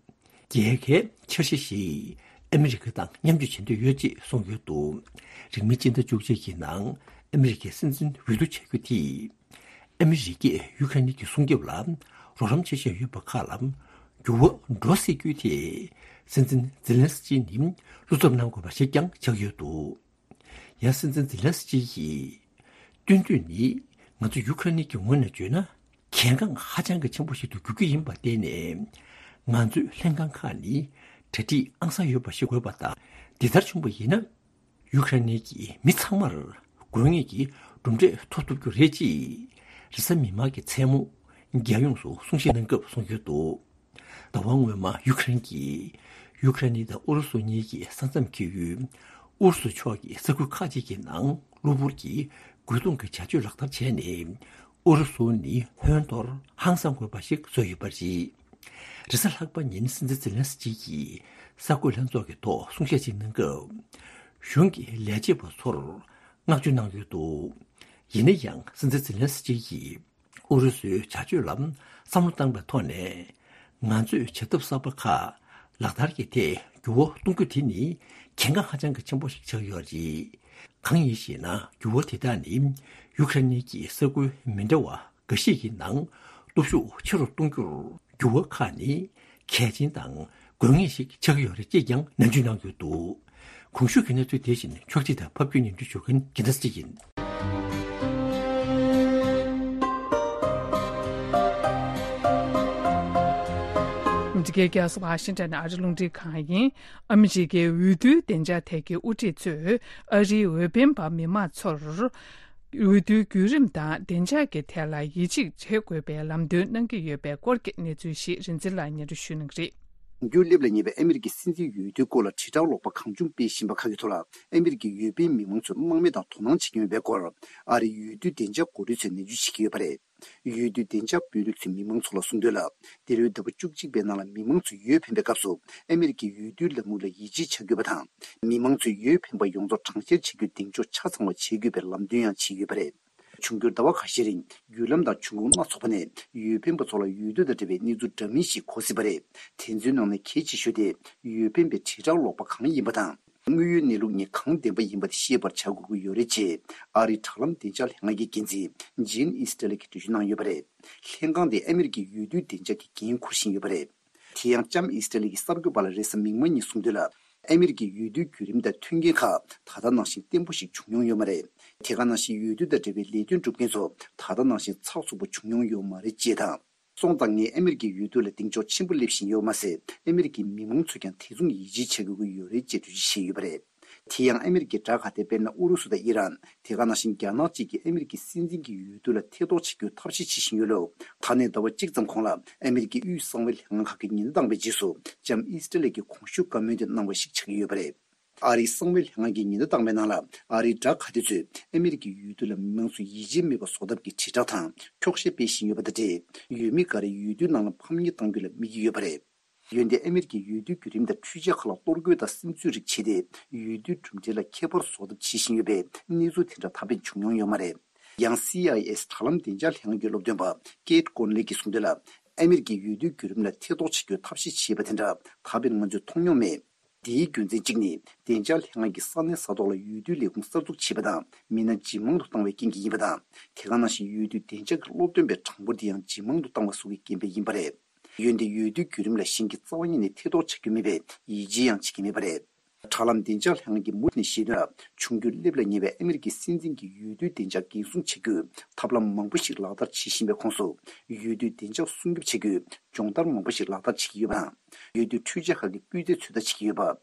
རྒྱལ་ཁའི་འཆར་གཞི་ཞིག་ཨ་མི་རི་ཀ་དང་མཉམ་སྤྱོད་བྱེད་འདོད་ཡོད་ཅེས་གསུངས་ཡོད་འདུག་རིང་མིན་སྤྱི་ཟླ་བཅུ་གཅིག་གི་ནང་ཨ་མི་རི་ཀའི་སྲིད་འཛིན་འོས་བསྡུ་བྱ་རྒྱུ་དེས། ཨ་མི་རི་ཀས་ཡུ་ཁ་རེན་གྱི་སྲུང་སྐྱོབ་ལ་རོགས་རམ་བྱེད་བཞིན་ཡོད་པ་ཁག་ལ་འགྱུར་བ་འགྲོ་སྲིད་རྒྱུ་དེ། སྲིད་འཛིན་ཛེ་ལན་སི་ཀི་ནི་བློ་འཚབ་གནང་དགོས་པ་ཞིག་ཀྱང་ཆགས་ཡོད་འདུག་ཡང་སྲིད་འཛིན་ཛེ་ལན་སི་ཀི་ཡིས། སྟོན་དུས་ནི་ང་ཚོ་ཡུ་ཁ་རེན་གྱི་ངོས་ནས་བརྗོད་ན། གལ་འགངས་ཧ་ཅང་གི་ཆེན་པོ་ཞིག་ཏུ་འགྱུར་གྱི་ཡིན་པར་བརྟེན་ནས། ང་ཚོའི་ལྷན་ཁང་ཁག་ནི་གྲ་སྒྲིག་ཨང་གསར་ཡོད་པ་ཞིག་དགོས་པ་དང་། འདི་ལྟར་བྱུང་བ་ཡིན་ན། ཡུ་ཁ་རེན་གྱི་མི་ཚང་མར་དགོས་ངེས་ཀྱི་གྲུབ་འབྲས་ཐོབ་ཐུབ་རྒྱུ་རེད་ཅེས། རེས་གཟའ་མིག་དམར་གྱི་མཚན་མོ། རྒྱལ་ཡོངས་སུ་གསུང་བཤད་གནང་སྐབས་གསུངས་ཡོད་འདུག་ཟླ་བ་སྔོན་མ་ཡུ་ཁ་རེན་གྱིས་ཡུ་ཁ་རེན་དང་ཨུ་རུ་སུ་གཉིས་ཀྱི་ས་མཚམས་འཁེལ་ཡུལ་ཨུ་རུ་སུ་ཕྱོགས་ཀྱི་ས་ཁུལ་ཁག་ཅིག་གི་ནང་གློ་བུར་གྱི་རྒོལ་རྡུང་གི་བྱ་སྤྱོད་ལག་བསྟར་བྱས་ནས། ཨུ་རུ་སུ་ནི་ཧོན་ཐོར་ཧང་སང་དགོས་པ་ཞིག་བཟོས་ཡོད་པ་རེད། རེས་གཟའ་ལྷག་པ་ཉིན་སྲིད་འཛིན་ཛེ་ལན་སི་ཀི་ཡིས་གསར་འགོད་ལྷན་ཚོགས་ཀྱི་ཐོག་གསུང་བཤད་ཅིག་གནང་སྐབས། གཞུང་གི་ལས་བྱེད་པ་ཚོར་བསྔགས་བརྗོད་གནང་ཡོད་འདུག་ཡིན་ན་ཡང་། སྲིད་འཛིན་ཛེ་ལན་སི་ཀི་ཡིས། ཨུ་རུ་སུའི་བྱ་སྤྱོད་ལ་བསམ་བློ་བཏང་བའི་ཐོག་ནས། ང་ཚོས་བྱ་ཐབས་གསར་པ་ཁག་ལག་བསྟར་གྱི་ཐད་འགྱུར་བ་གཏོང་རྒྱུ་དེ་ནི་གལ་འགངས་ཧ་ཅང་གི་ཆེན་པོ་ཞིག་ཆགས་ཡོད་རེད། གང་ཡིན་ཞེ་ན། འགྱུར་བ་དེ་དག་ནི་ཡུ་ཁ་རེན་གྱི་ས་ཁུལ་མི་འདྲ་བ་འགའ་ཤས་ཀྱི་ནང་སྟོབས་ཤུགས་ཆེ་རུ་གཏོང་རྒྱུར་འགྱུར་བ་ཁག་ནི་གལ་ཆེན་དང་དགོས་ངེས་ཤིག་ཆགས་ཀྱི་ཡོད་རེད་ཅེས་ཀྱང་ནན་བརྗོད་གནང་ཡོད་འདུག་གོང་ཞུས་ཀྱི་གནས་ཚུལ་དེ་བཞིན་ཕྱོགས་སྒྲིག་དང་ཕབ་སྒྱུར་སྙན་སྒྲོན་ཞུ་མཁན་རྒྱལ་མཚན་ཚེ་རིང་ཡིན། འདི་གའི་རྒྱལ་ས་ཝ་ཤིང་ཊོན་ཨ་རི་རླུང་འཕྲིན་ཁང་ཡིན། ཨ་མི་རི་ཀའི་འོས་བསྡུའི་བདེ་འཇགས་ཐད་ཀྱི་དབུ་ཁྲིད་ཚོས་ཨ་རིའི་འོས་འཕེན་པ་མི་མང་ཚོར། འོས་བསྡུའི་བརྒྱུད་རིམ་དང་བདེ་འཇགས་ཀྱི་ཐད་ལ་ཡིད་ཆེས་བྱེད་དགོས་པའི་ལམ་སྟོན་གནང་གི་ཡོད་པའི་སྐོར་གྱི་གནས་ཚུལ་ཞིག་རིན་འཛིན་ལགས་སྙན་སྒྲོན་ཞུ་གནང་གི་རེད། འགྱུར་སླེབས་ལ་ཉེ་བའི་ཨ་མི་རི་ཀའི་སྲིད་འཛིན་འོས་བསྡུའི་སྐོར་ལ་དྲིལ་བསྒྲགས་ཀློག་པ་གང་བྱུང་སྤེལ་བཞིན་པ་ཁག་གི་ཐོག་ལ། ཨ་མི་རི་ཀའི་འོས་འཕེན་མི་མང་ཚོས་དམག་མི་དང་དོ་སྣང་བྱེད་ཀྱི་ཡོད་པའི་སྐོར། ཨ་རིའི་འོས་བསྡུ་བདེ་འཇགས་འགོ་ཁྲིད་ཚོས་ནན་བརྗོད་བྱེད་ཀྱི་ཡོད་པ་རེད། འོས་བསྡུ་བདེ་འཇགས་དཔོན་རིགས་ཚོས་མི་མང་ཚོ་ལ་གསུངས་དོན་ལ། འདི་ལོའི་ཟླ་བ་བཅུ་གཅིག་པའི་ནང་ལ་མི་མང་ཚོས་འོས་འཕེན་པའི་སྐབས་སུ། ཨ་མི་རི་ཀའི་འོས་བསྡུའི་ལམ་ལུགས་ལ་ཡིད་ཆེས་བྱ་དགོས་པ་དང་། མི་མང་ཚོས་འོས་འཕེན་པ་ཡོངས་རྫོགས་གྲངས་བཤེར་བྱེད་རྒྱུ་གདེང་འཇོག་ཆ་ཚང་བ་བྱེད་དགོས་པའི་ལམ་སྟོན་ཡང་བྱས་ཡོད་པ་རེད། འབྱུང་འགྱུར་ཟླ་བ་ཁ་ཤས་རིང་བརྒྱུད་ལམ་དང་འབྱུང་ཁུངས་སྣ་ཚོགས་པ་ནས་འོས་འཕེན་པ་ཚོ་ལ་འོས་བསྡུ་དང་འབྲེལ་བའི་གནས་ཚུལ་འདྲ་མིན་ཞིག་གོ་སྲིད་པ་རེད། དེ་ཚོའི་ནང་ནས་གལ་ཆེ་ཤོས་དེ་འོས་འཕེན་པའི་དྲིལ་བསྒྲགས་ཀློག་པ་གང་ཡིན་པ་དང་། དངོས་ཡོད་གནས་ལུགས་གཉིས་གང་བདེན་པ་ཡིན་པ་དེ་ཤེས་པར་བྱ་དགོས་ཀྱི་ཡོད་རེད་ཅེས་ཨ་རིའི་དྲ་ལམ་བདེ་འཇགས་ལྷན་ཁང་གི་འགན་འཛིན་ཇིན་ཨིས་ཏྲེ་ལེ་གིས་འགྲེལ་བརྗོད་གནང་ཡོད་པ་རེད། ལྷན་ཁང་དེས་ཨ་མི་རི་ཀའི་འོས་བསྡུའི་བདེ་འཇགས་ཀྱི་འགན་འཁུར་བཞིན་ཡོད་པ་རེད། དེ་ཡང་ལྕམ་ཨིས་ཏྲེ་ལེ་གྱི་གསར་འགོད་པ་ལ་རེས་གཟའ་མིག་དམར་ཉིན་གསུངས་དོན་ལ། ཨ་མི་རི་ཀའི་འོས་བསྡུའི་བརྒྱུད་རིམ་དང་མཐུན་རྐྱེན་ཁག་ད་ལྟ་ནང་བཞིན་བརྟན་པོ་ཞིག་བྱུང་མྱོང་ཡོད་མ་རེད། དེ་ག་ནང་བཞིན་འོས་བསྡུ་དང་འབྲེལ་བའི་ལས་དོན་སྒྲུབ་མཁན་ཚོ་ད་ལྟ་ནང་བཞིན་ཚགས་ཚུད་པོ་བྱུང་མྱོང་ཡོད་མ་རེད་ཅེས་དང་། སོང་ཙང་ངས་ཨ་མི་རི་ཀའི་འོས་བསྡུ་ལ་གདེང་འཇོག་ཆེན་པོ་སླེབས་བཞིན་ཡོད་མ་ཟད། ཨ་མི་རི་ཀའི་མི་མང་ཚོས་ཀྱང་དེ་མཚུངས་ཡིད་ཆེས་བྱ་དགོས་ཀྱི་ཡོད་རེད་ཅེས་འགྲེལ་བརྗོད་བྱས་ཡོད་པ་རེད། དེ་ཡང་ཨ་མི་རི་ཀའི་དགྲ་ཁ་གཏད་དཔེར་ན་ཨུ་རུ་སུ་དང་ཨི་རན། དེ་ག་ནང་བཞིན་རྒྱ་ནག་བཅས་ཀྱིས་ཨ་མི་རི་ཀའི་སྲིད་འཛིན་གྱི་འོས་བསྡུ་ལ་ཐེ་གཏོགས་བྱེད་རྒྱུའི་ཐབས་ཤེས་བྱེད་བཞིན་ཡོད་ལུགས། ད་ནས་ཟླ་བ་གཅིག་ཙམ་གོང་ལ་ཨ་མི་རི་ཀའི་དབུས་གསང་བའི་ལྷན་ཁང་ཁག་གིས་ཉེན་བརྡ་བཏང་བའི་རྗེས་སུ་ལྕམ་ཨིས་ཏྲེ་ལེ་གིས་གོང་ཞུས་བཀའ་མོལ་དེ་གནང་བ་ཞིག་ཆགས་ཀྱི་ཡོད་པ་རེད། ཨ་རིའི་གསང་བའི་ལྷན་ཁང་གིས་ཉེན་བརྡ་བཏང་བའི་ནང་ལ། ཨ་རིའི་དགྲ་ཁ་གཏད་ཚོས་ཨ་མི་རི་ཀའི་འོས་བསྡུ་ལ་མི་མང་ཚོས་ཡིད་ཆེས་མེད་པ་བཟོ་ཐབས་ཀྱི་དྲིལ་བསྒྲགས་དང་འཁྱོག་བཤད་སྤེལ་བཞིན་ཡོད་པ་དང་འབྲེལ། འོས་མི་འགའ་རེས་འོས་བསྡུའི་ནང་ལ་ཕམ་ཉེས་གཏང་རྒྱུ་ལ་དམིགས་ཀྱི་ཡོད་པ་རེད། འོན་ཏེ་ཨ་མི་རི་ཀའི་འོས་བསྡུའི་བརྒྱུད་རིམ་དང་འཕྲུལ་ཆས་ཁག་ལ་གཏོར་རྒོལ་དང་སིམ་འཛུལ་རིགས་བྱས་ཏེ། འོས་བསྡུའི་གྲུབ་འབྲས་ལ་ཁྱད་པར་བཟོ་ཐབས་བྱེད་བཞིན་ཡོད་པའི་གནས་ཚུལ་དེ་འདྲ་ད་ཕན་བྱུང་མྱོང་ཡོད་མ་རེད། ཡང་སི་ཨའི་ཨེས་དྲ་ལམ་བདེ་འཇགས་ལྷན་ཁང་གི་སློབ་སྟོན་པ་ཀེད་ཀོན་ལེ་གིས་གསུངས་དོན་ལ། ཨ་མི་རི་ཀའི་འོས་བསྡུའི་བརྒྱུད་རིམ་ལ་ཐེ་གཏོགས་བྱེད་རྒྱུའི་ཐབས་ཤེས་བྱས་པ་དེ་འདྲ་ད་བར་ང་ཚོས་མཐོང་མྱོང་མེད། དེའི་རྒྱུ་མཚན་གཅིག་ནི། བདེ་འཇགས་ལྷན་ཁང་གིས་ས་གནས་ས་ཐོག་ལ་འོས་བསྡུའི་ལས་ཁུངས་གསར་འཛུགས་བྱས་པ་དང་། མི་སྣ་ཇེ་མང་དུ་བཏང་བའི་རྐྱེན་གྱིས་ཡིན་པ་དང་། དེ་ག་ནང་བཞིན་འོས་བསྡུའི་བདེ་འཇགས་ཀྱི་སློབ་སྟོན་པའི་གྲངས་འབོར་དེ་ཡང་ཇེ་མང་དུ་བཏང་བ་སོགས་ཀྱི་རྐྱེན་པས་ཡིན་པ་རེད། འོན་ཏེ་འོས་བསྡུའི་བརྒྱུད་རིམ་ལ་གཞན་གྱིས་རྩ་བ་ཉིད་ནས་ཐེ་གཏོགས་བྱ་རྒྱུ་མེད་པས་ཡིད་ཆེས་ཡང་བྱེད་ཀྱི་མེད་པ་རེད། དྲ་ལམ་བདེ་འཇགས་ལྷན་ཁང་གིས་མུ་མཐུད་ནས་བཤད་དོན་ལ། འབྱུང་འགྱུར་སླེབས་ལ་ཉེ་བའི་ཨ་མི་རི་ཀའི་སྲིད་འཛིན་གྱི་འོས་བསྡུའི་བདེ་འཇགས་འགན་སྲུང་བྱ་རྒྱུའི་ཐབས་ལམ་མང་པོ་ཞིག་ལག་བསྟར་བྱེད་བཞིན་པའི་ཁོངས་སུ། འོས་བསྡུའི་བདེ་འཇགས་སྲུང་སྐྱོབ་བྱ་རྒྱུའི་སྦྱོང་བརྡར་མང་པོ་ཞིག་ལག་བསྟར་བྱེད་ཀྱི་ཡོད་པ་དང་། འོས་བསྡུའི་འཕྲུལ་ཆས་ཁག་གི་སྤུས་ཚད་ཚོད་ལྟ་བྱེད་ཀྱི་ཡོད་པ། འོས་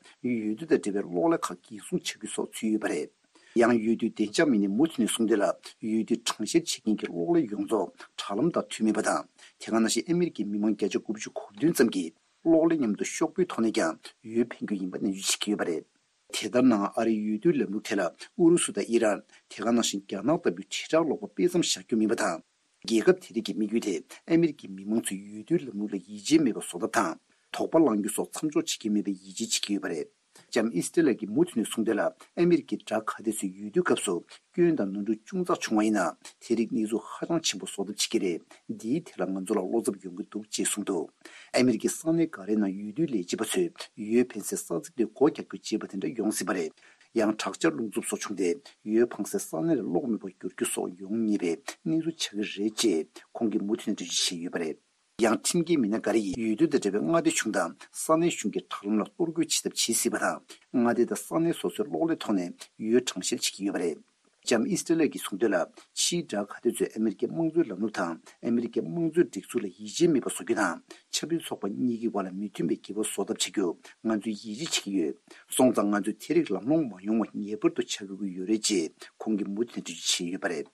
བསྡུ་དང་འབྲེལ་བའི་གློག་ཀླད་ཁག་འགན་སྲུང་བྱ་རྒྱུ་སོགས་ཚུད་ཡོད་པ་རེད། ཡང་འོས་བསྡུའི་བདེ་འཇགས་མི་སྣས་མུ་མཐུད་ནས་གསུངས་དོན་ལ། འོས་བསྡུའི་གྲངས་བཤེར་བྱེད་མཁན་གྱི་གློག་ཀླད་ཡོངས་རྫོགས་དྲ་ལམ་དང་མཐུན་མེད་པ་དང་། དེ་ག་ནང་བཞིན་ཨ་མི་རི་ཀའི་མི་མང་བརྒྱ་ཆ་དགུ་བཅུ་གོ་བདུན་ཙམ་གྱིས་གློག་ཀླད་མཉམ་དུ་ཤོག་བུའི་ཐོག་ནས་ཀྱང་འོས་འཕེན་རྒྱུ་ཡིན་པ་ནན་བརྗོད་བྱེད་ཀྱི་ཡོད་པ་རེད། དེ་ལྟར་ན་ཨ་རིའི་འོས་བསྡུའི་ལམ་ལུགས་དེ་ལ་ཨུ་རུ་སུ་དང་ཨི་རན། དེ་ག་ནང་བཞིན་རྒྱ་ནག་ལྟ་བུའི་དྲིལ་བསྒྲགས་ཀློག་པ་དཔེ་མཚམས་བཞག་རྒྱུ་མིན་པ་དང་། རྒྱལ་ཁབ་དེ་རིགས་ཀྱི་དམིགས་ཡུལ་དེ་ཨ་མི་རི་ཀའི་མི་མང་ཚོས་འོས་བསྡུའི་ལམ་ལུགས་ལ་ཡིད་ཆེས་མེད་པ་བཟོ་ཐབས་དང་། དོགས་པ་བསླང་རྒྱུ་སོགས་མཚམས་འཇོག་བྱེད་ཀྱི་མེད་པའི་ཡིད་ཆེས་བྱེད་ཀྱི་ཡོད་པ་རེད། ལྕམ་ཨིས་ཏྲེ་ལ་གིས་མུ་མཐུད་ནས་གསུངས་དོན་ལ། ཨ་མི་རི་ཀའི་དགྲ་ཁ་གཏད་ཚོས་འོས་བསྡུའི་སྐབས་སུ་སྐྱོན་དང་ནོར་འཁྲུལ་ཅུང་ཙག་བྱུང་བ་ཡིན་ན། དེ་རིགས་གནས་ཚུལ་ཧ་ཅང་ཆེན་པོ་བཟོ་ཐབས་བྱེད་ཀྱི་རེད། འདིའི་ཐད་ལ་ང་ཚོ་ལ་བློ་འཚབ་ཡོང་གི་འདུག་ཅེས་གསུངས་འདུག་ཨ་མི་རི་ཀའི་ས་གནས་འགའ་རེའི་ནང་འོས་བསྡུའི་ལས་བྱེད་པ་ཚོས་འོས་འཕེན་སའི་ས་ཚིགས་དེ་སྒོ་རྒྱག་རྒྱུ་བྱས་པ་དེ་འདྲ་ཡོང་སྲིད་པ་རེད། ཡང་དྲག་ཆར་རླུང་འཚུབ་སོགས་བྱུང་སྟེ། འོས་འཕང་སའི་ས་གནས་ལ་གློག་མེད་པར་འགྱུར་རྒྱུ་སོགས་ཡོང་ངེས་པའི་གནས་ཚུལ་ཆགས་ཀྱི་རེད་ཅེས་ཁོང་གིས་མུ་མཐུད་ནས་འགྲེལ་བརྗོད་བྱས་ཡོད་པ་རེད། ཡང་ཁྲིམས་འགལ་མི་སྣ་འགའ་རེ་ཡིས་འོས་བསྡུ་དང་འབྲེལ་བའི་མངའ་སྡེ་གཞུང་དང་ས་གནས་གཞུང་གི་དྲ་ལམ་ལ་གཏོར་རྒོལ་བྱེད་ཐབས་བྱེད་སྲིད་པ་དང་། མངའ་སྡེ་དང་ས་གནས་སོ་སོའི་གློག་ཀླད་ཐོག་ནས་འོས་གྲངས་བཤེར་བྱེད་ཀྱི་ཡོད་པ་རེད། ལྕམ་ཨིས་ཏྲེ་ལེ་གིས་གསུངས་དོན་ལ། ཕྱིའི་དགྲ་ཁ་གཏད་ཚོས་ཨ་མི་རི་ཀའི་དམངས་གཙོའི་ལམ་ལུགས་དང་ཨ་མི་རི་ཀའི་དམངས་གཙོའི་སྒྲིག་འཛུགས་ལ་ཡིད་ཆེས་མེད་པ་བཟོ་རྒྱུ་དང་། ཆབ་སྲིད་ཚོགས་པ་གཉིས་ཀྱི་བར་ལ་མི་མཐུན་པའི་འགལ་བ་བཟོ་ཐབས་བྱེད་རྒྱུ་ང་ཚོས་ཡིད་ཆེས་བྱེད་ཀྱི་ཡོད། སོང་ཙང་ང་ཚོས་དེ་རིགས་ལམ་ལྷོང་མ་ཡོང་བ་ངེས་པར་དུ་བྱ་དགོས་ཀྱི་ཡོད་རེད་ཅེས་ཁོང་གིས་མུ་མཐུད་ནས་འགྲེལ་བརྗོད་བྱས་ཡོད་པ་རེད།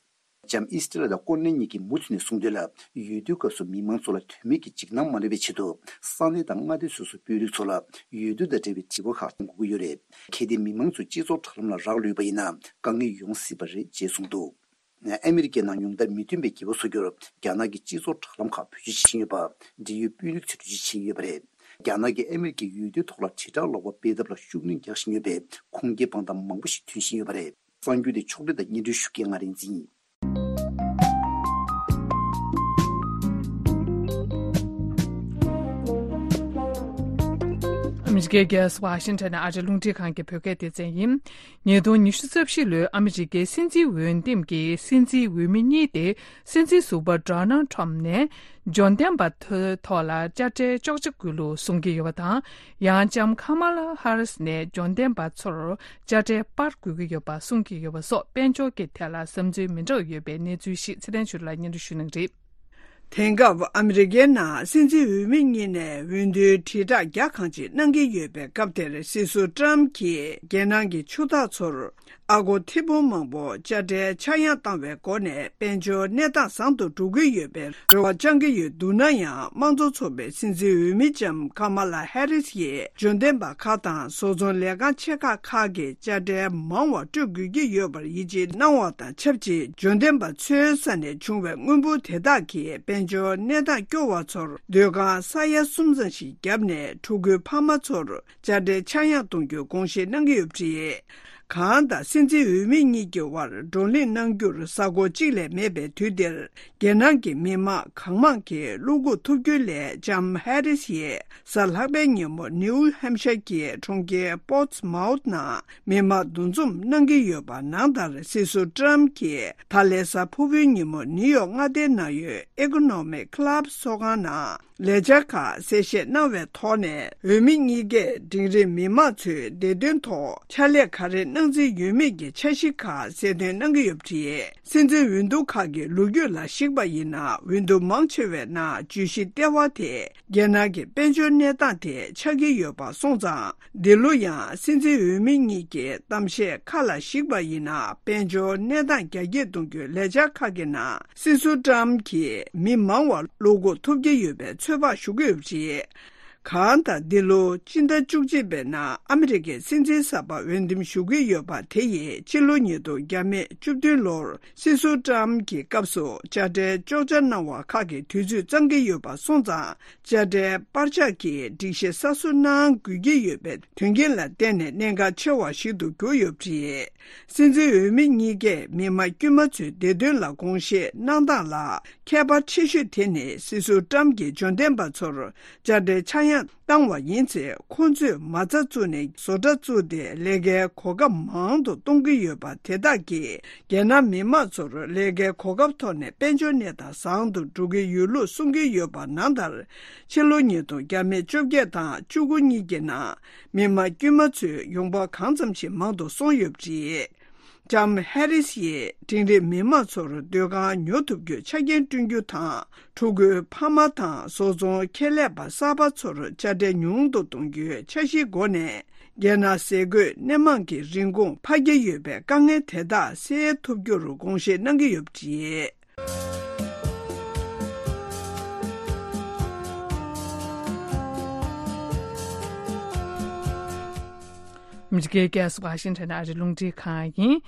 ལྕམ་ཨིས་ཏྲེ་ལ་དང་ཀོན་ལེ་གཉིས་ཀྱིས་མུ་མཐུད་ནས་གསུངས་དོན་ལ། འོས་བསྡུའི་སྐབས་སུ་མི་མང་ཚོ་ལ་དོན་མེད་ཀྱི་འཇིགས་སྣང་མ་སླེབས་པའི་ཆེད་དུ། ས་གནས་དང་མངའ་སྡེ་སོ་སོའི་དཔོན་རིགས་ཚོ་ལ་འོས་བསྡུ་དང་འབྲེལ་བའི་དྲི་བ་ཁག་འགོད་ཀྱི་ཡོད་རེད། གལ་ཏེ་མི་མང་ཚོས་སྤྱི་ཚོགས་དྲ་ལམ་ལ་རག་ལུས་པ་ཡིན་ན། དཀའ་ངལ་ཡོང་སྲིད་པ་རེད་ཅེས་གསུངས་འདུག་ཨ་མི་རི་ཀའི་ནང་ཉུང་མཐར་མི་མཐུན་པའི་འགལ་བ་བཟོ་རྒྱུར། རྒྱ་ནག་གི་སྤྱི་ཚོགས་དྲ་ལམ་ཁག་བེད་སྤྱོད་བྱེད་བཞིན་ཡོད་པ། འབྲེལ་ཡོད་དཔོན་རིགས་ཚོས་འགྲེལ་བརྗོད་བྱས་ཡོད་པ་རེད། རྒྱ་ནག་གིས་ཨ་མི་རི་ཀའི་འོས་བསྡུའི་ཐོག་ལ་དྲིལ་བསྒྲགས་ཀློག་པ་སྤེལ་ཐབས་ལ་ཤུགས་སྣོན་རྒྱག་བཞིན་ཡོད་པའི་ཁུངས་སྐྱེལ་དཔང་རྟགས་མང་པོ་ཞིག་ཐོན་བཞིན་ཡོད་པ་རེད། གསར་འགྱུར་དེ་ཕྱོགས་སྒྲིག་དང་སྙན་སྒྲོན་ཞུ་མཁན་ང་རིག་འཛིན་ཡིན། ཨ་མི་རི་ཀའི་རྒྱལ་ས་ཝ་ཤིང་ཊོན་ནས་ཨ་རིའི་རླུང་འཕྲིན་ཁང་གི་བོད་སྐད་སྡེ་ཚན་ཡིན། ཉིས་སྟོང་ཉི་ཤུ་རྩ་བཞི་ལོའི་ཨ་མི་རི་ཀའི་སྲིད་འཛིན་འོས་འདེམས་ཀྱི་སྲིད་འཛིན་འོས་མི་གཉིས་ཏེ། སྲིད་འཛིན་ཟུར་པ་ཌོ་ནལ་ཊམ་ནས་འབྱོར་ལྡན་པ་ཚོའི་ཐོག་ལ་དཔྱ་ཁྲལ་གཅོག་ཆ་དགོས་ལུགས་གསུང་གི་ཡོད་པ་དང་། ཡང་ལྕམ་ཁ་མ་ལ་ཧ་རིས་ནས་འབྱོར་ལྡན་པ་ཚོར་དཔྱ་ཁྲལ་སྤར་དགོས་ཀྱི་ཡོད་པ་གསུང་གི་ཡོད་པ་སོགས་དཔལ་འབྱོར་གྱི་ཐད་ལ་བསམ་ཚུལ་མི་འདྲ་བ་ཡོད་པའི་གནས་ཚུལ་ཞིག་ཚེ་བརྟན་ཆོས་སྒྲོན་ལགས་སྙན་སྒྲོན་ཞུ་གནང་གི་རེད། དེང་སྐབས་ཨ་མི་རི་ཀའི་ནང་སྲིད་འཛིན་འོས་མི་གཉིས་ནས་འོས་བསྡུའི་དྲིལ་བསྒྲགས་རྒྱ་གང་ཆེ་གནང་གི་ཡོད་པའི་སྐབས་དེར། སྲིད་ཟུར་ཊམ་གྱིས་རྒྱལ་ནང་གི་ཆུ་བདག་ཚོར་ཨ་སྒོར་ཐེར་འབུམ་མང་པོ་དཔྱ་ཁྲལ་ཆག་ཡང་བཏང་བའི་སྒོ་ནས་དཔལ་འབྱོར་གནས་སྟངས་བཟང་དུ་འགྲོ་གི་ཡོད་པའི་རེ་བ་བཅང་གི་ཡོད་འདུག་ན་ཡང་། དམངས་གཙོ་ཚོགས་པའི་སྲིད་འཛིན་འོས་མི་ལྕམ་ཁ་མ་ལ་ཧེ་རིས་ཡིས་འབྱོར་ལྡན་པ་ཁག་དང་བཟོ་ཚོང་ལས་ཁང་ཆེ་ཁག་ཁག་གི་དཔྱ་ཁྲལ་མང་བ་སྤྲོད་དགོས་ཀྱི་ཡོད་པར་ཡིད་ཆེས་གནང་བ་དང་ཆབས་ཅིག་འབྱོར་ལྡན་པ་ཚོའི་ས་ནས་བྱུང་བའི་དངོས་འབོར་དེ་དག་གིས་དཔལ་འབྱོར་གནས་སྟངས་སྐྱོ་བ་ཚོར་སྡོད་ཁང་ས་ཡ་གསུམ་ཙམ་ཞིག་བརྒྱབ་ནས་ཕྲུ་གུའི་ཕ་མ་ཚོར་དཔྱ་ཁྲལ་ཆག་ཡང་གཏོང་རྒྱུའི་དགོངས་བཞེས་གནང་གི་ཡོད་པ་རེད། གྷང་དང་སྲིད་འཛིན་འོས་མི་གཉིས་ཀྱི་དབར་བགྲོ་གླེང་གནང་རྒྱུར་གཟའ་འཁོར་གཅིག་ལས་མེད་པའི་དུས་འདིར། རྒྱལ་ནང་གི་མི་མང་གང་མང་གིས་བློ་འགུག་ཐུབ་རྒྱུ་ལས་ལྕམ་ཧེ་རིས་ཡིས་གཟའ་ལྷག་པའི་ཉིན་མོ་ནིའུ་ཧེམ་ཤར་གྱི་གྲོང་ཁྱེར་པོར་ཏི་མའུ་ཐི་ནང་མི་མང་འདུ་འཛོམས་གནང་གི་ཡོད་པ་ནང་ལྟར། སྲིད་ཟུར་ཏྲམ་གྱིས་ད་ལན་གཟའ་ཕུར་བུའི་ཉིན་མོ་ནིའུ་ཡོག་མངའ་སྡེའི་ནང་ཡོད་ཨེ་ཀོ་ནོ་མིག་ཀི་ལབ་ཚོགས་ཁང་ནང་ལས་འཆར་ཁག་གསལ་བཤད་གནང་བའི་ཐོག་ནས། འོས་མི་གཉིས་ཀས་འབྲིང་རིམ་མི་མང་ཚོའི་བདེ་དོན་ཐོག་ཕྱག་ལས་ག་རེ་གནང་རྩིས་ཡོད་མེད་ཀྱི་འཆར་གཞི་ཁག་གསལ་སྟོན་གནང་གི་ཡོད་པ་རེད། སྲིད་འཛིན་འོས་བསྡུ་ཁག་གི་ལོ་རྒྱུས་ལ་གཞིགས་པ་ཡིན་ན། འོས་བསྡུ་མང་ཆེ་བའི་ནང་བརྗོད་གཞི་ལྟེ་བ་དེ་རྒྱལ་ནང་གི་དཔལ་འབྱོར་གནས་སྟངས་དེ་ཆགས་ཀྱི་ཡོད་པ་སོང་ཙང་། འདི་ལོ་ཡང་སྲིད་འཛིན་འོས་མི་གཉིས་ཀྱི་གཏམ་བཤད་ཁག་ལ་གཞིགས་པ་ཡིན་ན། དཔལ་འབྱོར་གནས་སྟངས་རྒྱ་སྐྱེད་གཏོང་རྒྱུའི་ལས་འཆར་ཁག་གི་ནང་སྲིད་ཟུར་ཏྲམ་གྱིས་མི་མང་བ་བློ་འགུག་ཐུབ་ཀྱི་ཡོད་པའི་ཚོད་དཔག་ཞུ་གི་ཡོད་པ་རེད། གང་ལྟར། འདི་ལོ་སྤྱི་ཟླ་བཅུ་གཅིག་པའི་ནང་ཨ་མི་རི་ཀའི་སྲིད་འཛིན་གསར་པ་འོས་འདེམས་ཞུ་གི་ཡོད་པ་དེ་ཡིས་ཕྱི་ལོ་ཉིས་སྟོང་བརྒྱ་མེད་བཅུ་བདུན་ལོར་སྲིད་ཟུར་ཏྲམ་གྱི་སྐབས་སུ་དཔྱ་ཁྲལ་གཅོག་ཆ་གནང་བ་ཁག་གི་དུས་ཚོད་གཙང་གི་ཡོད་པ་སོང་ཙང་། དཔྱ་ཁྲལ་པར་ཆག་གི་སྒྲིག་གཞི་གསར་བཟོ་གནང་དགོས་ཀྱི་ཡོད་པའི་དོན་རྐྱེན་ལ་བརྟེན་ནས་གནད་འགག་ཆེ་བ་ཞིག་ཏུ་གྱུར་ཡོད་པ་རེད། སྲིད་འཛིན་འོས་མི་གཉིས་ཀས་མི་དམངས་དཀྱུས་མ་ཚོའི་བདེ་དོན་ལ་དགོངས་བཞེས་གནང་སྟངས་ལ་ཁྱད་པར་ཆེ་ཤོས་དེ་ནི། སྲིད་ཟུར་ཏྲམ་གྱིས་འབྱོར་ལྡན་པ་ཚོར་དཔྱ་ཁྲལ་ཆག་ཡང་བཏང་བ་ཡིན་ཚེ། ཁོང་ཚོས་མ་རྩ་བཙུགས་ནས་བཟོ་གྲྭ་བཙུགས་ཏེ་ལས་ཀའི་གོ་སྐབས་མང་དུ་གཏོང་གི་ཡོད་པ་དེ་དག་གིས། རྒྱལ་ནང་མི་མང་ཚོར་ལས་ཀའི་གོ་སྐབས་ཐོག་ནས་དཔལ་འབྱོར་གནས་སྟངས་བཟང་དུ་འགྲོ་གི་ཡོད་ལུགས་གསུང་གི་ཡོད་པ་ནང་ལྟར། ཕྱི་ལོ་ཉིས་སྟོང་བརྒྱ་མེད་བཅོ་བརྒྱད་དང་བཅུ་དགུ་གཉིས་ཀྱི་ནང་མི་དམངས་དཀྱུས་མ་ཚོའི་ཡོང་འབབ་གང་ཙམ་ཞིག་མང་དུ་སོང་ཡོད་པ་རེད། ལྕམ་ཧེ་རིས་ཡིས་འབྲིང་རིམ་མི་མང་ཚོར་སྡོད་ཁང་ཉོ་ཐུབ་རྒྱུའི་ཆ་རྐྱེན་བསྐྲུན་རྒྱུ་དང་། ཕྲུ་གུའི་ཕ་མ་དང་བཟོ་ཚོང་ཁྱད་ལས་པ་གསར་པ་ཚོར་དཔྱ་ཁྲལ་ཉུང་དུ་གཏོང་རྒྱུའི་འཆར་གཞིའི་སྒོ་ནས། རྒྱལ་ནང་ཟས་གོས་སྣེ་མང་གི་རིན་གོང་འཕར་གྱི་ཡོད་པའི་དཀའ་ངལ་དེ་དག་སེལ་ཐུབ་རྒྱུར་དགོངས་བཞེས་གནང་གི་ཡོད་པ་རེད། ཨ་མི་རི་ཀའི་རྒྱལ་ས་ཝ་ཤིང་ཊོན་ཨ་རིའི་རླུང་འཕྲིན་ཁང་ཡིན།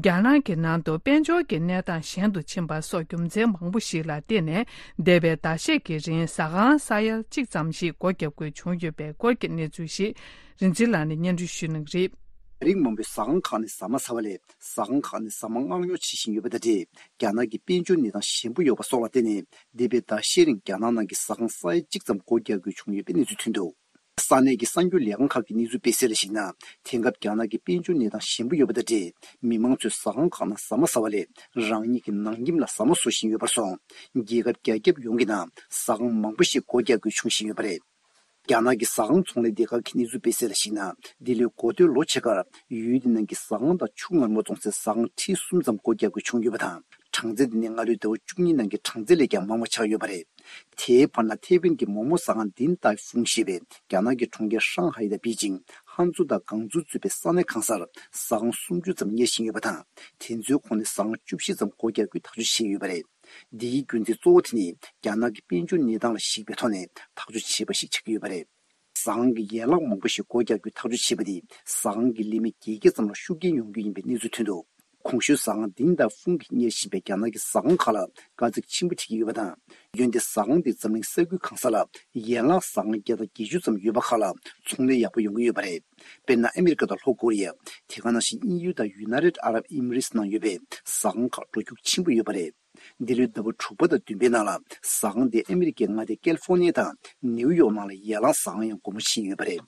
རྒྱ་ནག་གི་ནང་དུ་དཔལ་འབྱོར་གྱི་གནས་སྟངས་ཞན་དུ་ཕྱིན་པ་སོགས་རྒྱུ་མཚན་མང་པོ་ཞིག་ལ་བརྟེན་ནས། འདས་པའི་ཟླ་ཤས་ཀྱི་རིང་ཟ་ཁང་ས་ཡ་གཅིག་ཙམ་ཞིག་སྒོ་བརྒྱབ་དགོས་བྱུང་ཡོད་པའི་སྐོར་གྱི་གནས་ཚུལ་ཞིག་རིན་ཆེན་ལགས་ནས་སྙན་སྒྲོན་ཞུ་གནང་གི་རེད། རིགས་མང་པོའི་ཟ་ཁང་ཁག་ནས་ཟ་མ་ཟ་བ་ལས། ཟ་ཁང་ཁག་ནས་ཟ་མ་མངགས་ཉོ་བྱེད་བཞིན་ཡོད་པ་དང་འབྲེལ། རྒྱ་ནག་གི་དཔལ་འབྱོར་གནས་སྟངས་ཞན་པོ་ཡོད་པ་སོགས་ལ་བརྟེན་ནས། འདས་པའི་ཟླ་ཤས་རིང་རྒྱ་ནག་ནང་གི་ཟ་ཁང་ས་ཡ་གཅིག་ཙམ་སྒོ་རྒྱག་དགོས་བྱུང་ཡོད་པའི་གནས་ཚུལ་ཐོན་འདུག། ས་གནས་ཀྱི་གསར་འགྱུར་ལས་ཁང་ཁག་གི་གནས་ཚུལ་སྤེལ་གསལ་ལ་གཞིགས་ན། དེང་སྐབས་རྒྱ་ནག་གི་དཔལ་འབྱོར་གནས་སྟངས་ཞན་པོ་ཡོད་པ་དང་འབྲེལ། མི་མང་ཚོས་ཟ་ཁང་ཁག་ནང་ཟ་མ་ཟ་བ་ལས། རང་ཉིད་ཀྱི་ནང་ཁྱིམ་ལ་ཟ་མ་བཟོ་བཞིན་ཡོད་པར་སོང་། རྒྱལ་ཁབ་རྒྱ་ཁྱབ་ཡོངས་ཀྱི་ནང་ཟ་ཁང་མང་པོ་ཞིག་སྒོ་རྒྱག་དགོས་བྱུང་བཞིན་ཡོད་པ་རེད། རྒྱ་ནག་གི་ཟ་ཁང་ཚོང་ལས་སྡེ་ཁག་གི་གནས་ཚུལ་སྤེལ་གསལ་ལ་གཞིགས་ན། འདི་ལོའི་འགོ་སྟོད་ལོ་ཕྱེད་ཀར་ཡུལ་དེ་ནང་གི་ཟ་ཁང་དང་ཆུ་མངར་མོ་བཙོང་སའི་ཟ་ཁང་ཁྲི་གསུམ་ཙམ་སྒོ་རྒྱག་དགོས་བྱུང་ཡོད་པ་དང་། གྲངས་ཚད་དེ་ནི་སྔ་ལོའི་ཟླ་བ་བཅུ་གཉིས་ནང་གི་གྲངས་ཚད་ལས་ཀྱང་མང་བ་ཆགས་ཡོད་པ་རེད། དེའི་བར་ན་ཐེ་ཝན་གྱི་མོག་མོག་ཟ་ཁང་དིན་ཏའེ་ཧྥུང་ཞེས་པས་རྒྱ་ནག་གི་གྲོང་ཁྱེར་ཧྲང་ཧའེ་དང་པེ་ཅིང་། ཧན་ཙུའུ་དང་ཀང་ཙུའུ་གཙོས་པའི་ས་གནས་གང་སར་ཟ་ཁང་སུམ་ཅུ་ཙམ་གཉེར་བཞིན་ཡོད་པ་དང་། དེ་ཚོའི་ཁོངས་ནས་ཟ་ཁང་བཅུ་བཞི་ཙམ་སྒོ་རྒྱག་རྒྱུའི་ཐག་གཅོད་བྱས་ཡོད་པ་རེད། འདིའི་རྒྱུ་མཚན་གཙོ་བོ་དེ་ནི་རྒྱ་ནག་གི་དཔལ་འབྱོར་གནས་སྟངས་ལ་གཞིགས་པའི་ཐོག་ནས་ཐག་གཅོད་བྱས་པ་ཞིག་ཆགས་ཀྱི་ཡོད་པ་རེད། ཟ་ཁང་གི་ཡན་ལག་མང་པོ་ཞིག་སྒོ་རྒྱག་རྒྱུའི་ཐག་གཅོད་བྱས་པ་དེས་ཟ་ཁང་གི་ལས་མི་བརྒྱད་བརྒྱ་ཙམ་ལ་ཤུགས་རྐྱེན་ཡོང་རྒྱུ་ཡིན་པའི་གནས་ཚུལ་ཐོན་འདུག། གོང་ཞུས་ཟ་ཁང་དིན་ཏའེ་ཧྥུང་གིས་གཉེར་བཞིན་པའི་རྒྱ་ནག་གི་ཟ་ཁང་ཁག་ལ་དཀའ་ཚེགས་ཆེན་པོ་འཕྲད་ཀྱི་ཡོད་པ་དང་། འོན་ཏེ་ཟ་ཁང་དེ་འཛམ་གླིང་ས་ཁུལ་གང་ས་ལ་ཡན་ལག་ཟ་ཁང་བརྒྱ་དང་བརྒྱད་ཅུ་ཙམ་ཡོད་པ་ཁག་ལ་ཚོང་ལས་ཡག་པོ་ཡོང་གི་ཡོད་པ་རེད། དཔེར་ན། ཨ་མི་རི་ཀ་དང་ལྷོ་ཀོ་རི་ཡ། དེ་ག་ནང་བཞིན་དབྱིན་ཡུལ་དང་ཡུ་ནའི་ཊེཌ་ཨ་རབ་ཨི་མི་རེ་ཊི་ནང་ཡོད་པའི་ཟ་ཁང་ཁག་འགྲོ་རྒྱུགས་ཆེན་པོ་ཡོད་པ་རེད། འདི་ལོའི་ཟླ་བ་དྲུག་པ་དང་བདུན་པའི་ནང་ལ་ཟ་ཁང་དེ་ཨ་མི་རི་ཀའི་མངའ་སྡེ་ཀལ་ཧྥོར་ནི་ཡ་དང་ནེའུ་ཡོག་ནང་ལ་ཡན་ལག་ཟ་ཁང་ཡང་སྒོ་མོ་ཕྱེ་ཡོད་པ་རེད།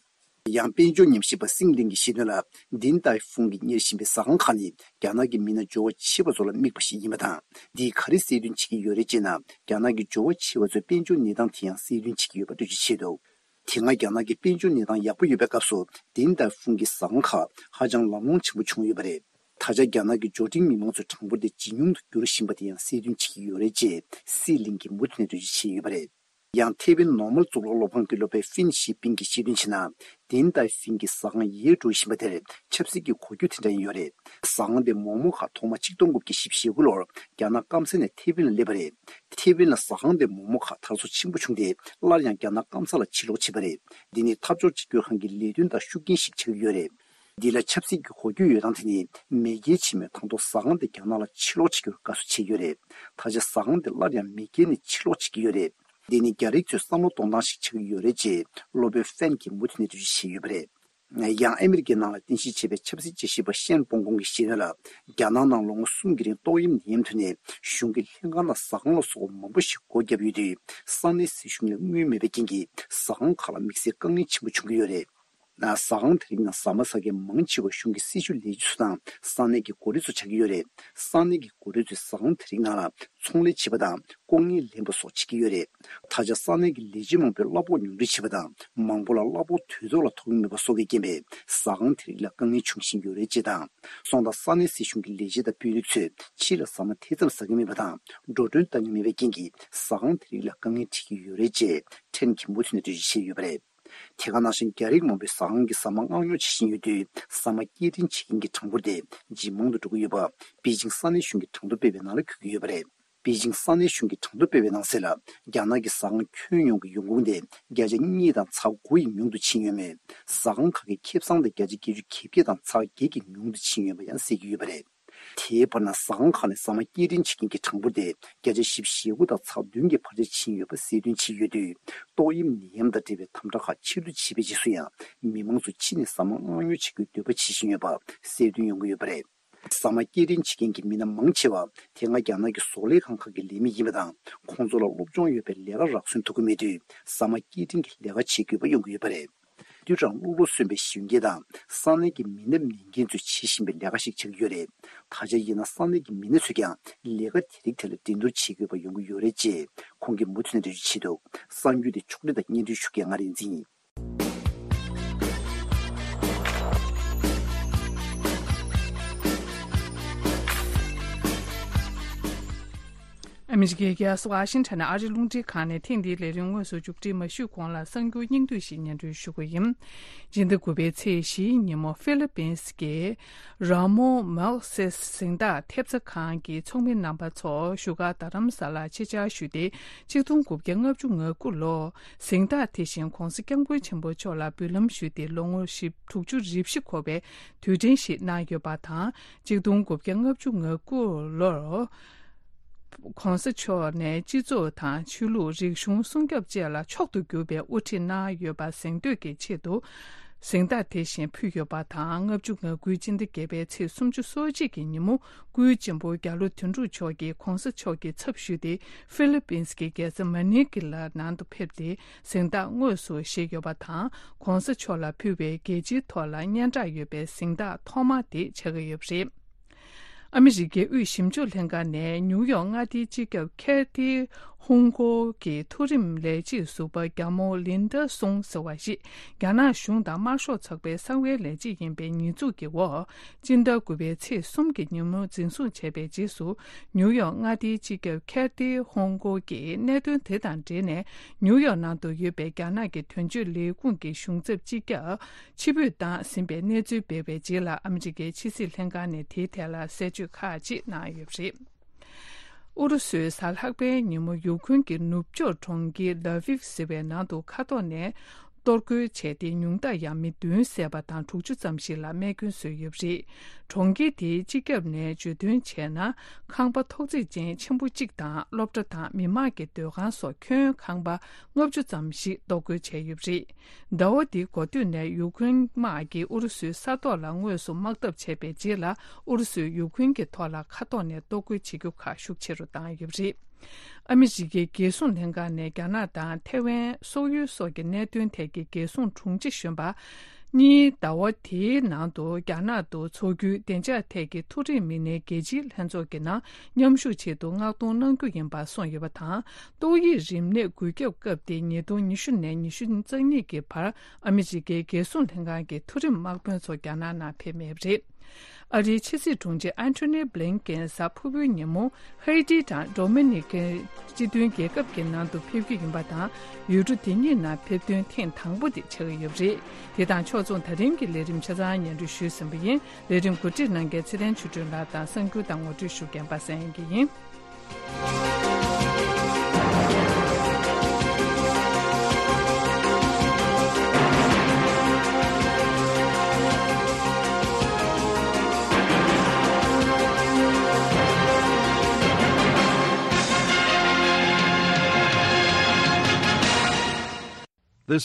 ཡང་དཔལ་འབྱོར་ཉམས་ཞིབ་པ་སིང་ལིང་གིས་བཤད་དོན་ལ། དིན་ཏའེ་ཧྥུང་གིས་གཉེར་བཞིན་པའི་ཟ་ཁང་ཁག་ནི་རྒྱ་ནག་གི་མི་སྣ་འབྱོར་བ་ཆེ་བ་ཚོ་ལ་དམིགས་པ་ཞིག་ཡིན་པ་དང་། འདིས་ག་རེ་གསལ་སྟོན་བྱེད་ཀྱི་ཡོད་རེད་ཅེ་ན། རྒྱ་ནག་གི་འབྱོར་བ་ཆེ་བ་ཚོའི་དཔལ་འབྱོར་གནས་སྟངས་དེ་ཡང་གསལ་སྟོན་བྱེད་ཀྱི་ཡོད་པ་འགྲེལ་བརྗོད་བྱས་འདུག། དེ་སྔ་རྒྱ་ནག་གི་དཔལ་འབྱོར་གནས་སྟངས་ཡག་པོ་ཡོད་པའི་སྐབས་སུ་དིན་ཏའེ་ཧྥུང་གི་ཟ་ཁང་ཁག་ཧ་ཅང་ལམ་ལྷོང་ཆེན་པོ་བྱུང་ཡོད་པ་རེད། ད་ཆ་རྒྱ་ནག་གི་འབྱོར་འབྲིང་མི་མང་ཚོའི་གྲངས་འབོར་དེ་ཇེ་ཉུང་དུ་འགྱུར་བཞིན་པ་དེ་ཡང་གསལ་སྟོན་བྱེད་ཀྱི་ཡོད་རེད་ཅེས་སི་ལིང་གིས་མུ་མཐུད་ནས་འགྲེལ་བརྗོད་བྱས་ཡོད་པ་རེད། ཡང་ཐེ་ཝན་ནོར་མལ་གཙུག་ལག་སློབ་ཁང་གི་སློབ་དཔོན་ཧྥིན་ཞི་པིན་གྱིས་བཤད་དོན་བྱས་ན། དིན་ཏའེ་ཧྥིན་གྱི་ཟ་ཁང་ཡལ་འགྲོ་བཞིན་པ་དེར་ཆབ་སྲིད་ཀྱི་གོ་རྒྱུ་དེ་འདྲ་ཡང་ཡོད་རེད། ཟ་ཁང་དེ་མོག་མོག་ཁག་ཐོག་མ་ཆིག་སྟོང་དགུ་བརྒྱ་བཞི་བཅུ་ཞེ་དགུ་ལོར་རྒྱ་ནག་སྐམ་ས་ནས་ཐེ་ཝན་ལ་སླེབས་པ་རེད། ཐེ་ཝན་ལ་ཟ་ཁང་དེ་མོག་མོག་ཁག་དར་སོ་ཆེན་པོ་བྱུང་སྟེ། སླར་ཡང་རྒྱ་ནག་སྐམ་ས་ལ་ཕྱིར་ལོག་བྱས་པ་རེད། འདི་ནི་འཐབ་ཕྱོགས་གཅིག་གྱུར་ཁང་གི་ལས་དོན་དང་ཤུགས་རྐྱེན་ཞིག་ཆགས་ཀྱི་ཡོད་རེད། འདི་ལ་ཆབ་སྲིད་ཀྱི་གོ་རྒྱུ་ཡོད་སྟངས་དེ་ནི། མེས་རྒྱལ་ཆེན་མོས་དང་ཐོག་ཟ་ཁང་དེ་རྒྱ་ནག་ལ་ཕྱིར་སློག་བྱེད་རྒྱུར་དགའ་བསུ་བྱས་ཡོད་རེད། ད་ཆ་ཟ་ཁང་དེ་སླར་ཡང་མེས་རྒྱལ་ནས་ཕྱིར་སློག་བྱེད་ཀྱི་ཡོད་རེད། འདི་ནི་རྒྱ་རིགས་ཚོས་བསམ་བློ་གཏོང་སྟངས་ཤིག་ཆགས་ཀྱི་ཡོད་རེད་ཅེས་སློབ་དཔོན་ཧྥན་གྱིས་མུ་མཐུད་ནས་འགྲེལ་བརྗོད་བྱས་ཡོད་པ་རེད། ཡང་ཨ་མི་རི་ཀའི་ནང་ལ་རྟེན་གཞི་བྱས་པའི་ཆབ་སྲིད་དཔྱད་ཞིབ་པ་ཤན་པོང་ཀོང་གིས་བཤད་དོན་ལ། རྒྱ་ནག་ནང་ལོ་ངོ་གསུམ་གྱི་རིང་ཏོག་དབྱིབས་ནད་ཡམས་ཐོན་ནས་གཞུང་གི་ལྷན་ཁང་དང་ཟ་ཁང་ལ་སོགས་པ་མང་པོ་ཞིག་སྒོ་བརྒྱབ་ཡོད་དུས། ས་གནས་སྲིད་གཞུང་ལ་དངུལ་མེད་པའི་རྐྱེན་གྱིས་ཟ་ཁང་ཁག་ལ་དམིགས་བསལ་དཀའ་ངལ་ཆེན་པོ་བྱུང་གི་ཡོད་རེད། ཟ་ཁང་དེ་རིགས་ནང་ཟ་མ་ཟ་མཁན་མང་ཆེ་བ་གཞུང་གི་སྲིད་ཇུས་ལས་བྱེད་ཚོ་དང་ས་གནས་ཀྱི་འགོ་ཁྲིད་ཚོ་ཆགས་ཀྱི་ཡོད་རེད། ས་གནས་ཀྱི་འགོ་ཁྲིད་ཚོས་ཟ་ཁང་དེ་རིགས་ནང་ལ་ཚོང་ལས་བྱེད་པ་དང་ལྐོག་རྔན་ལེན་པ་སོགས་བྱེད་ཀྱི་ཡོད་རེད། ད་ཆ་ས་གནས་ཀྱི་ལས་བྱེད་མང་པོས་གླ་ཕོགས་ཉུང་འཕྲི་བྱེད་པ་དང་མང་པོ་ལ་གླ་ཕོགས་དུས་ཐོག་ལ་ཐོབ་ཀྱི་མེད་པ་སོགས་ཀྱི་རྐྱེན་པས་ཟ་ཁང་དེ་རིགས་ལ་དཀའ་ངལ་འབྱུང་བཞིན་ཡོད་རེད་ཅེས་དང་། སོང་ཙང་ས་གནས་སྲིད་གཞུང་གི་ལས་བྱེད་དང་དཔོན་རིགས་ཚོས་ཕྱི་ལ་ཟ་མ་དེ་ཙམ་ཟ་གི་མེད་པ་དང་འགྲོ་གྲོན་བཏང་གི་མེད་པའི་རྐྱེན་གྱིས་ཟ་ཁང་དེ་རིགས་ལ་དཀའ་ངལ་འཕྲད་ཀྱི་ཡོད་རེད་ཅེས་ཕྲན་གྱིམ་པོ་ཐོན་ནས་འགྲེལ་བརྗོད་བྱས་ཡོད་པ་རེད། དེ་ག་ནང་བཞིན་རྒྱ་རིགས་མང་པོས་ཟ་ཁང་གི་ཟ་མ་མངགས་ཉོ་བྱེད་བཞིན་ཡོད་དུས་ཟ་མ་སྐྱེལ་འདྲེན་བྱེད་མཁན་གྱི་གྲངས་འབོར་དེ་ཇེ་མང་དུ་འགྲོ་གི་ཡོད་པ། པེ་ཅིང་ས་གནས་གཞུང་གིས་གྲངས་ཐོ་སྤེལ་བའི་ནང་ལ་འཁོད་ཀྱི་ཡོད་པ་རེད། པེ་ཅིང་ས་གནས་གཞུང་གིས་གྲངས་ཐོ་སྤེལ་བའི་ནང་གསལ་ལ། རྒྱ་ནག་གི་ཟ་ཁང་ཁྱོན་ཡོངས་ཀྱི་ཡོང་ཁུངས་དེ་བརྒྱ་ཆ་གཉིས་དང་ཚེག་དགུ་ཡི་ཉུང་དུ་ཕྱིན་ཡོད་མོད། ཟ་ཁང་ཁག་གི་ཁེ་བཟང་དེ་བརྒྱ་ཆ་བརྒྱད་ཅུ་གྱ་བརྒྱད་དང་ཚེག་བརྒྱད་ཀྱི་ཉུང་དུ་ཕྱིན་ཡོད་པ་ཡང་གསལ་གྱི་ཡོད་པ་རེད། དེའི་བར་ན་ཟ་ཁང་ཁག་ནས་ཟ་མ་སྐྱེལ་འདྲེན་བྱེད་མཁན་གྱི་གྲངས་འབོར་དེ་བརྒྱ་ཆ་བཞི་བཅུ་ཞེ་དགུ་དང་ཚེག་བདུན་གྱི་འཕར་ཆ་ཕྱིན་ཡོད་པ་གསལ་སྟོན་བྱས་ཡོད་དུས། ཏོག་དབྱིབས་ནད་ཡམས་དང་འབྲེལ་བའི་དམ་དྲག་ཁག་ཕྱིར་བསྡུ་བྱས་པའི་རྗེས་སུ་ཡང་མི་མང་ཚོ་ཕྱི་ནས་ཟ་མ་མངགས་ཉོ་བྱེད་རྒྱུའི་འདོད་པ་བྱེད་བཞིན་ཡོད་པ་གསལ་སྟོན་ཡོང་གི་ཡོད་པ་རེད། ཟ་མ་སྐྱེལ་འདྲེན་བྱེད་མཁན་གྱི་མི་སྣ་མང་ཆེ་བ་དེ་སྔ་རྒྱ་ནག་གི་བཟོ་ལས་ཁང་ཁག་གི་ལས་མི་ཡིན་པ་དང་། ཁོང་ཚོ་ལ་སློབ་སྦྱོང་ཡོད་པའི་ལས་ཀ་རག་སོན་ཐུབ་ཀྱི་མེད་དུས་ཟ་མ་སྐྱེལ་འདྲེན་གྱི་ལས་ཀ་བྱེད་དགོས་པ་ཡོང་གི་ཡོད་པ་རེད། དུས་གྲངས་ལྷུག་ལྷུག་སོན་པའི་གཞོན་སྐྱེས་དང་ས་གནས་ཀྱི་མི་སྣ་མིན་མཁན་ཚོས་བྱེད་བཞིན་པའི་ལས་ཀ་ཞིག་ཆགས་ཀྱི་ཡོད་རེད། ད་ཆ་ཡིན་ན་ས་གནས་ཀྱི་མི་སྣ་ཚོས་ཀྱང་ལས་ཀ་དེ་རིགས་ཐད་ལ་འགྲན་བསྡུར་བྱེད་དགོས་པ་ཡོང་གི་ཡོད་རེད་ཅེས་ཁོང་གིས་མུ་མཐུད་ནས་འགྲེལ་བརྗོད་བྱས་འདུག་གསར་འགྱུར་དེ་ཕྱོགས་སྒྲིག་དང་སྙན་སྒྲོན་ཞུ་མཁན་ང་རིག་འཛིན་ཡིན། ཨ་མི་རི་ཀའི་རྒྱལ་ས་ཝ་ཤིང་ཊོན་ནས་ཨ་རིའི་རླུང་འཕྲིན་ཁང་ནས་ཐེངས་འདིའི་ལས་རིམ་དངོས་སུ་མཇུག་སྒྲིལ་མ་ཞུས་གོང་ལ་གསར་འགྱུར་སྙིང་བསྡུས་ཤིག་སྙན་སྒྲོན་ཞུ་གི་ཡིན། སྤྱི་ཟླ་དགུ་པའི་ཚེས་བཞིའི་ཉིན་མོ་ཧྥི་ལི་པིན་གྱི་ར་མོ་མཱལ་སེ་གཟེངས་རྟགས་ཐེབས་རྩ་ཁང་གི་ཚོགས་མི་རྣམ་པ་ཚོ་བཞུགས་སྒར་རྡ་རམ་ས་ལར་ཆེད་བཅར་ཞུས་ཏེ། གཅིག་སྟོང་དགུ་བརྒྱ་ལྔ་བཅུ་ང་དགུ་ལོར་གཟེངས་རྟགས་དེ་བཞིན་༧གོང་ས་༧སྐྱབས་མགོན་ཆེན་པོ་མཆོག་ལ་འབུལ་ལམ་ཞུས་ཏེ་ལོ་ངོ་བཞི་དྲུག་ཅུ་རེ་བཞི་འཁོར་བའི་དུས་དྲན་ཞིག་གནང་ཡོད་པ་དང་། གཅིག་སྟོང་དགུ་བརྒྱ་ལྔ་བཅུ་ང་དགུ་ལོར་༧གོང་ས་མཆོག་ནས་སྤྱི་ཚོགས་དང་ཆོས་ལུགས་རིག་གཞུང་སྲུང་སྐྱོབ་བཅས་ལ་མཆོག་ཏུ་གྱུར་པའི་དབུ་ཁྲིད་གནང་ཡོད་པ་གཟེངས་བསྟོད་ཀྱི་ཆེད་དུ། གཟེངས་རྟགས་དེ་བཞིན་ཕུལ་ཡོད་པ་དང་། ལྔ་བཅུ་ང་དགུའི་སྤྱི་ཟླ་བརྒྱད་པའི་ཚེས་སུམ་ཅུ་སོ་གཅིག་གི་ཉིན་མོ། སྐུའི་གཅེན་པོ་རྒྱ་ལོ་དོན་གྲུབ་མཆོག་གིས་༧གོང་ས་མཆོག་གི་ཚབ་ཞུས་ཏེ། ཧྥི་ལི་པིན་གྱི་རྒྱལ་ས་མ་ནི་ལ་ནང་དུ་ཕེབས་ཏེ། གཟེངས་རྟགས་དངོས་སུ་བཞེས་ཡོད་པ་དང་། ༧གོང་ས་མཆོག་ལ་ཕུལ་བའི་རྒྱལ་སྤྱིའི་ཐོག་ལ་སྙན་གྲགས་ཡོད་པའི་གཟེངས་རྟགས་ཐོག་མ་དེ་ཆགས་ཀྱི་ཡོད་པ་རེད། ཨ་མི་རི་ཀའི་དབུས་ཞིབ་འཇུག་ལྷན་ཁང་ནས་ནིའུ་ཡོག་མངའ་སྡེའི་སྤྱི་ཁྱབ་ཁེ་ཐི་ཧུང་གོ་གི་མཐོ་རིམ་ལས་བྱེད་ཟུར་པ་རྒྱ་མོ་ལིན་ཌ་སུང་ཟེར་བ་ཞིག་རྒྱ་ནག་གཞུང་དང་དམར་ཤོག་ཚོགས་པའི་གསང་བའི་ལས་བྱེད་ཡིན་པའི་ཉེས་འཛུགས་ཀྱི་འོག་སྤྱི་ཟླ་དགུ་པའི་ཚེས་གསུམ་གྱི་ཉིན་མོ་འཛིན་བཟུང་བྱས་པའི་རྗེས་སུ། ནིའུ་ཡོག་མངའ་སྡེའི་སྤྱི་ཁྱབ་ཁེ་ཐི་ཧུང་གོ་གིས་གནད་དོན་དེ་དང་འབྲེལ་ནས་ནིའུ་ཡོག་ནང་དུ་ཡོད་པའི་རྒྱ་ནག་གི་དོན་གཅོད་ལས་ཁུངས་ཀྱི་གཞུང་ཚབ་སྤྱི་ཁྱབ་ཕྱིར་འབུད་བཏང་ཟིན་པའི་གནས་ཚུལ་སྤེལ་བའི་རྗེས་ལ། ཨ་མི་རི་ཀའི་ཕྱི་སྲིད་ལྷན་ཁང་ནས་དེའི་ཐད་ལ་གསལ་བརྗོད་ཁག་ཅིག་གནང་ཡོད་པ་རེད། ཨུ་རུ་སུས་གཟའ་ལྷག་པའི་ཉིན་མོ་ཡུ་ཁུན་གྱི་ནུབ་ཕྱོགས་གྲོང་ཁྱེར་ལ་ཝིབ་ཟེར་བའི་ནང་དུ་མཁའ་ཐོག་ནས་གཏོར་རྒོལ་བྱས་ཏེ། ཉུང་མཐར་ཡང་མི་བདུན་བསད་པ་དང་། དྲུག་ཅུ་ཙམ་ཞིག་ལ་རྨས་སྐྱོན་བཟོས་ཡོད་པ་རེད། གྲོང་ཁྱེར་དེའི་སྤྱི་ཁྱབ་ནས་བརྗོད་དོན་བྱས་ན། ཁང་པ་ཐོག་བརྩེགས་ཅན་ཆེན་པོ་གཅིག་དང་། སློབ་གྲྭ་དང་མི་མང་གི་སྡོད་ཁང་སོགས་ཁྱོན་ཁང་པ་ལྔ་བཅུ་ཙམ་ཞིག་གཏོར་རྒོལ་བྱས་ཡོད་པ་རེད། ཟླ་བ་འདིའི་འགོ་སྟོད་ནས་ཡུ་ཁུན་དམག་གིས་ཨུ་རུ་སུའི་ས་ཐོག་ལ་དངོས་སུ་དམག་འཐབ་བྱས་པའི་རྗེས་ལ། ཨུ་རུ་སུས་ཡུ་ཁུན་གྱི་ཐོག་ལ་མཁའ་ཐོག་ནས་གཏོར་རྒོལ་བྱེད་རྒྱུ་ཁག་ཤུགས་ཆེ་རུ་བཏང་ཡོད་པ་རེད། ཨ་མི་རི་ཀའི་རྒྱལ་སྲུང་ལྷན་ཁང་ནས་རྒྱ་ནག་དང་ཐའེ་ཝན། སོག་ཡུལ་སོགས་ཀྱི་གནད་དོན་ཐད་ཀྱི་རྒྱལ་སྲུང་དྲུང་ཆེ་གཞོན་པ་གཉིས་ཟླ་བ་དེའི་ནང་དུ་རྒྱ་ནག་ཏུ་འཚོགས་རྒྱུའི་བདེ་འཇགས་ཐད་ཀྱི་མཐོ་རིམ་མི་སྣའི་རྒྱལ་སྤྱིའི་ལྷན་ཚོགས་ཀྱི་ནང་མཉམ་ཞུགས་ཆེད་དུ་མངགས་གཏོང་གནང་རྒྱུ་ཡིན་པ་གསུངས་ཡོད་པ་དང་། ཏོག་དབྱིབས་རིམས་ནད་འགོས་ཁྱབ་སྐབས་དེ་ཉིས་སྟོང་ཉི་ཤུ་ནས་ཉི་ཤུ་རྩ་གཉིས་ཀྱི་བར་ཨ་མི་རི་ཀའི་རྒྱལ་སྲུང་ལྷན་ཁང་གི་མཐོ་རིམ་དམག་དཔོན་ཚོ་རྒྱ་ནག་ནང་ཕེབས་མེད་པ་རེད། ཨ་རིའི་ཕྱི་སྲིད་དྲུང་ཆེ་ཨན་ཐོ་ནི་བྷི་ལིན་ཀེན་གཟའ་ཕུར་བུའི་ཉིན་མོ་ཧེ་ཏི་དང་ཌོ་མི་ནི་ཀའི་སྤྱི་མཐུན་རྒྱལ་ཁབ་ཀྱི་ནང་དུ་ཕེབས་རྒྱུ་ཡིན་པ་དང་། ཡུལ་གྲུ་དེ་གཉིས་ནང་ཕེབས་ཐོན་ཐེངས་དང་པོ་དེ་ཆགས་ཀྱི་ཡོད་པ་རེད། དེ་དང་ཕྱོགས་མཚུངས་ད་རིང་གི་ལས་རིམ་ཆ་ཚང་སྙན་སྒྲོན་ཞུས་ཟིན་པ་ཡིན། ལས་རིམ་གོ་སྒྲིག་གནང་མཁན་ཚེ་བརྟན་ཆོས་སྒྲོན་ལགས་དང་གསར་འགྱུར་དང་ངོ་སྤྲོད་ཞུ་མཁན་པ་སངས་དབྱངས་སྐྱིད་ཡིན།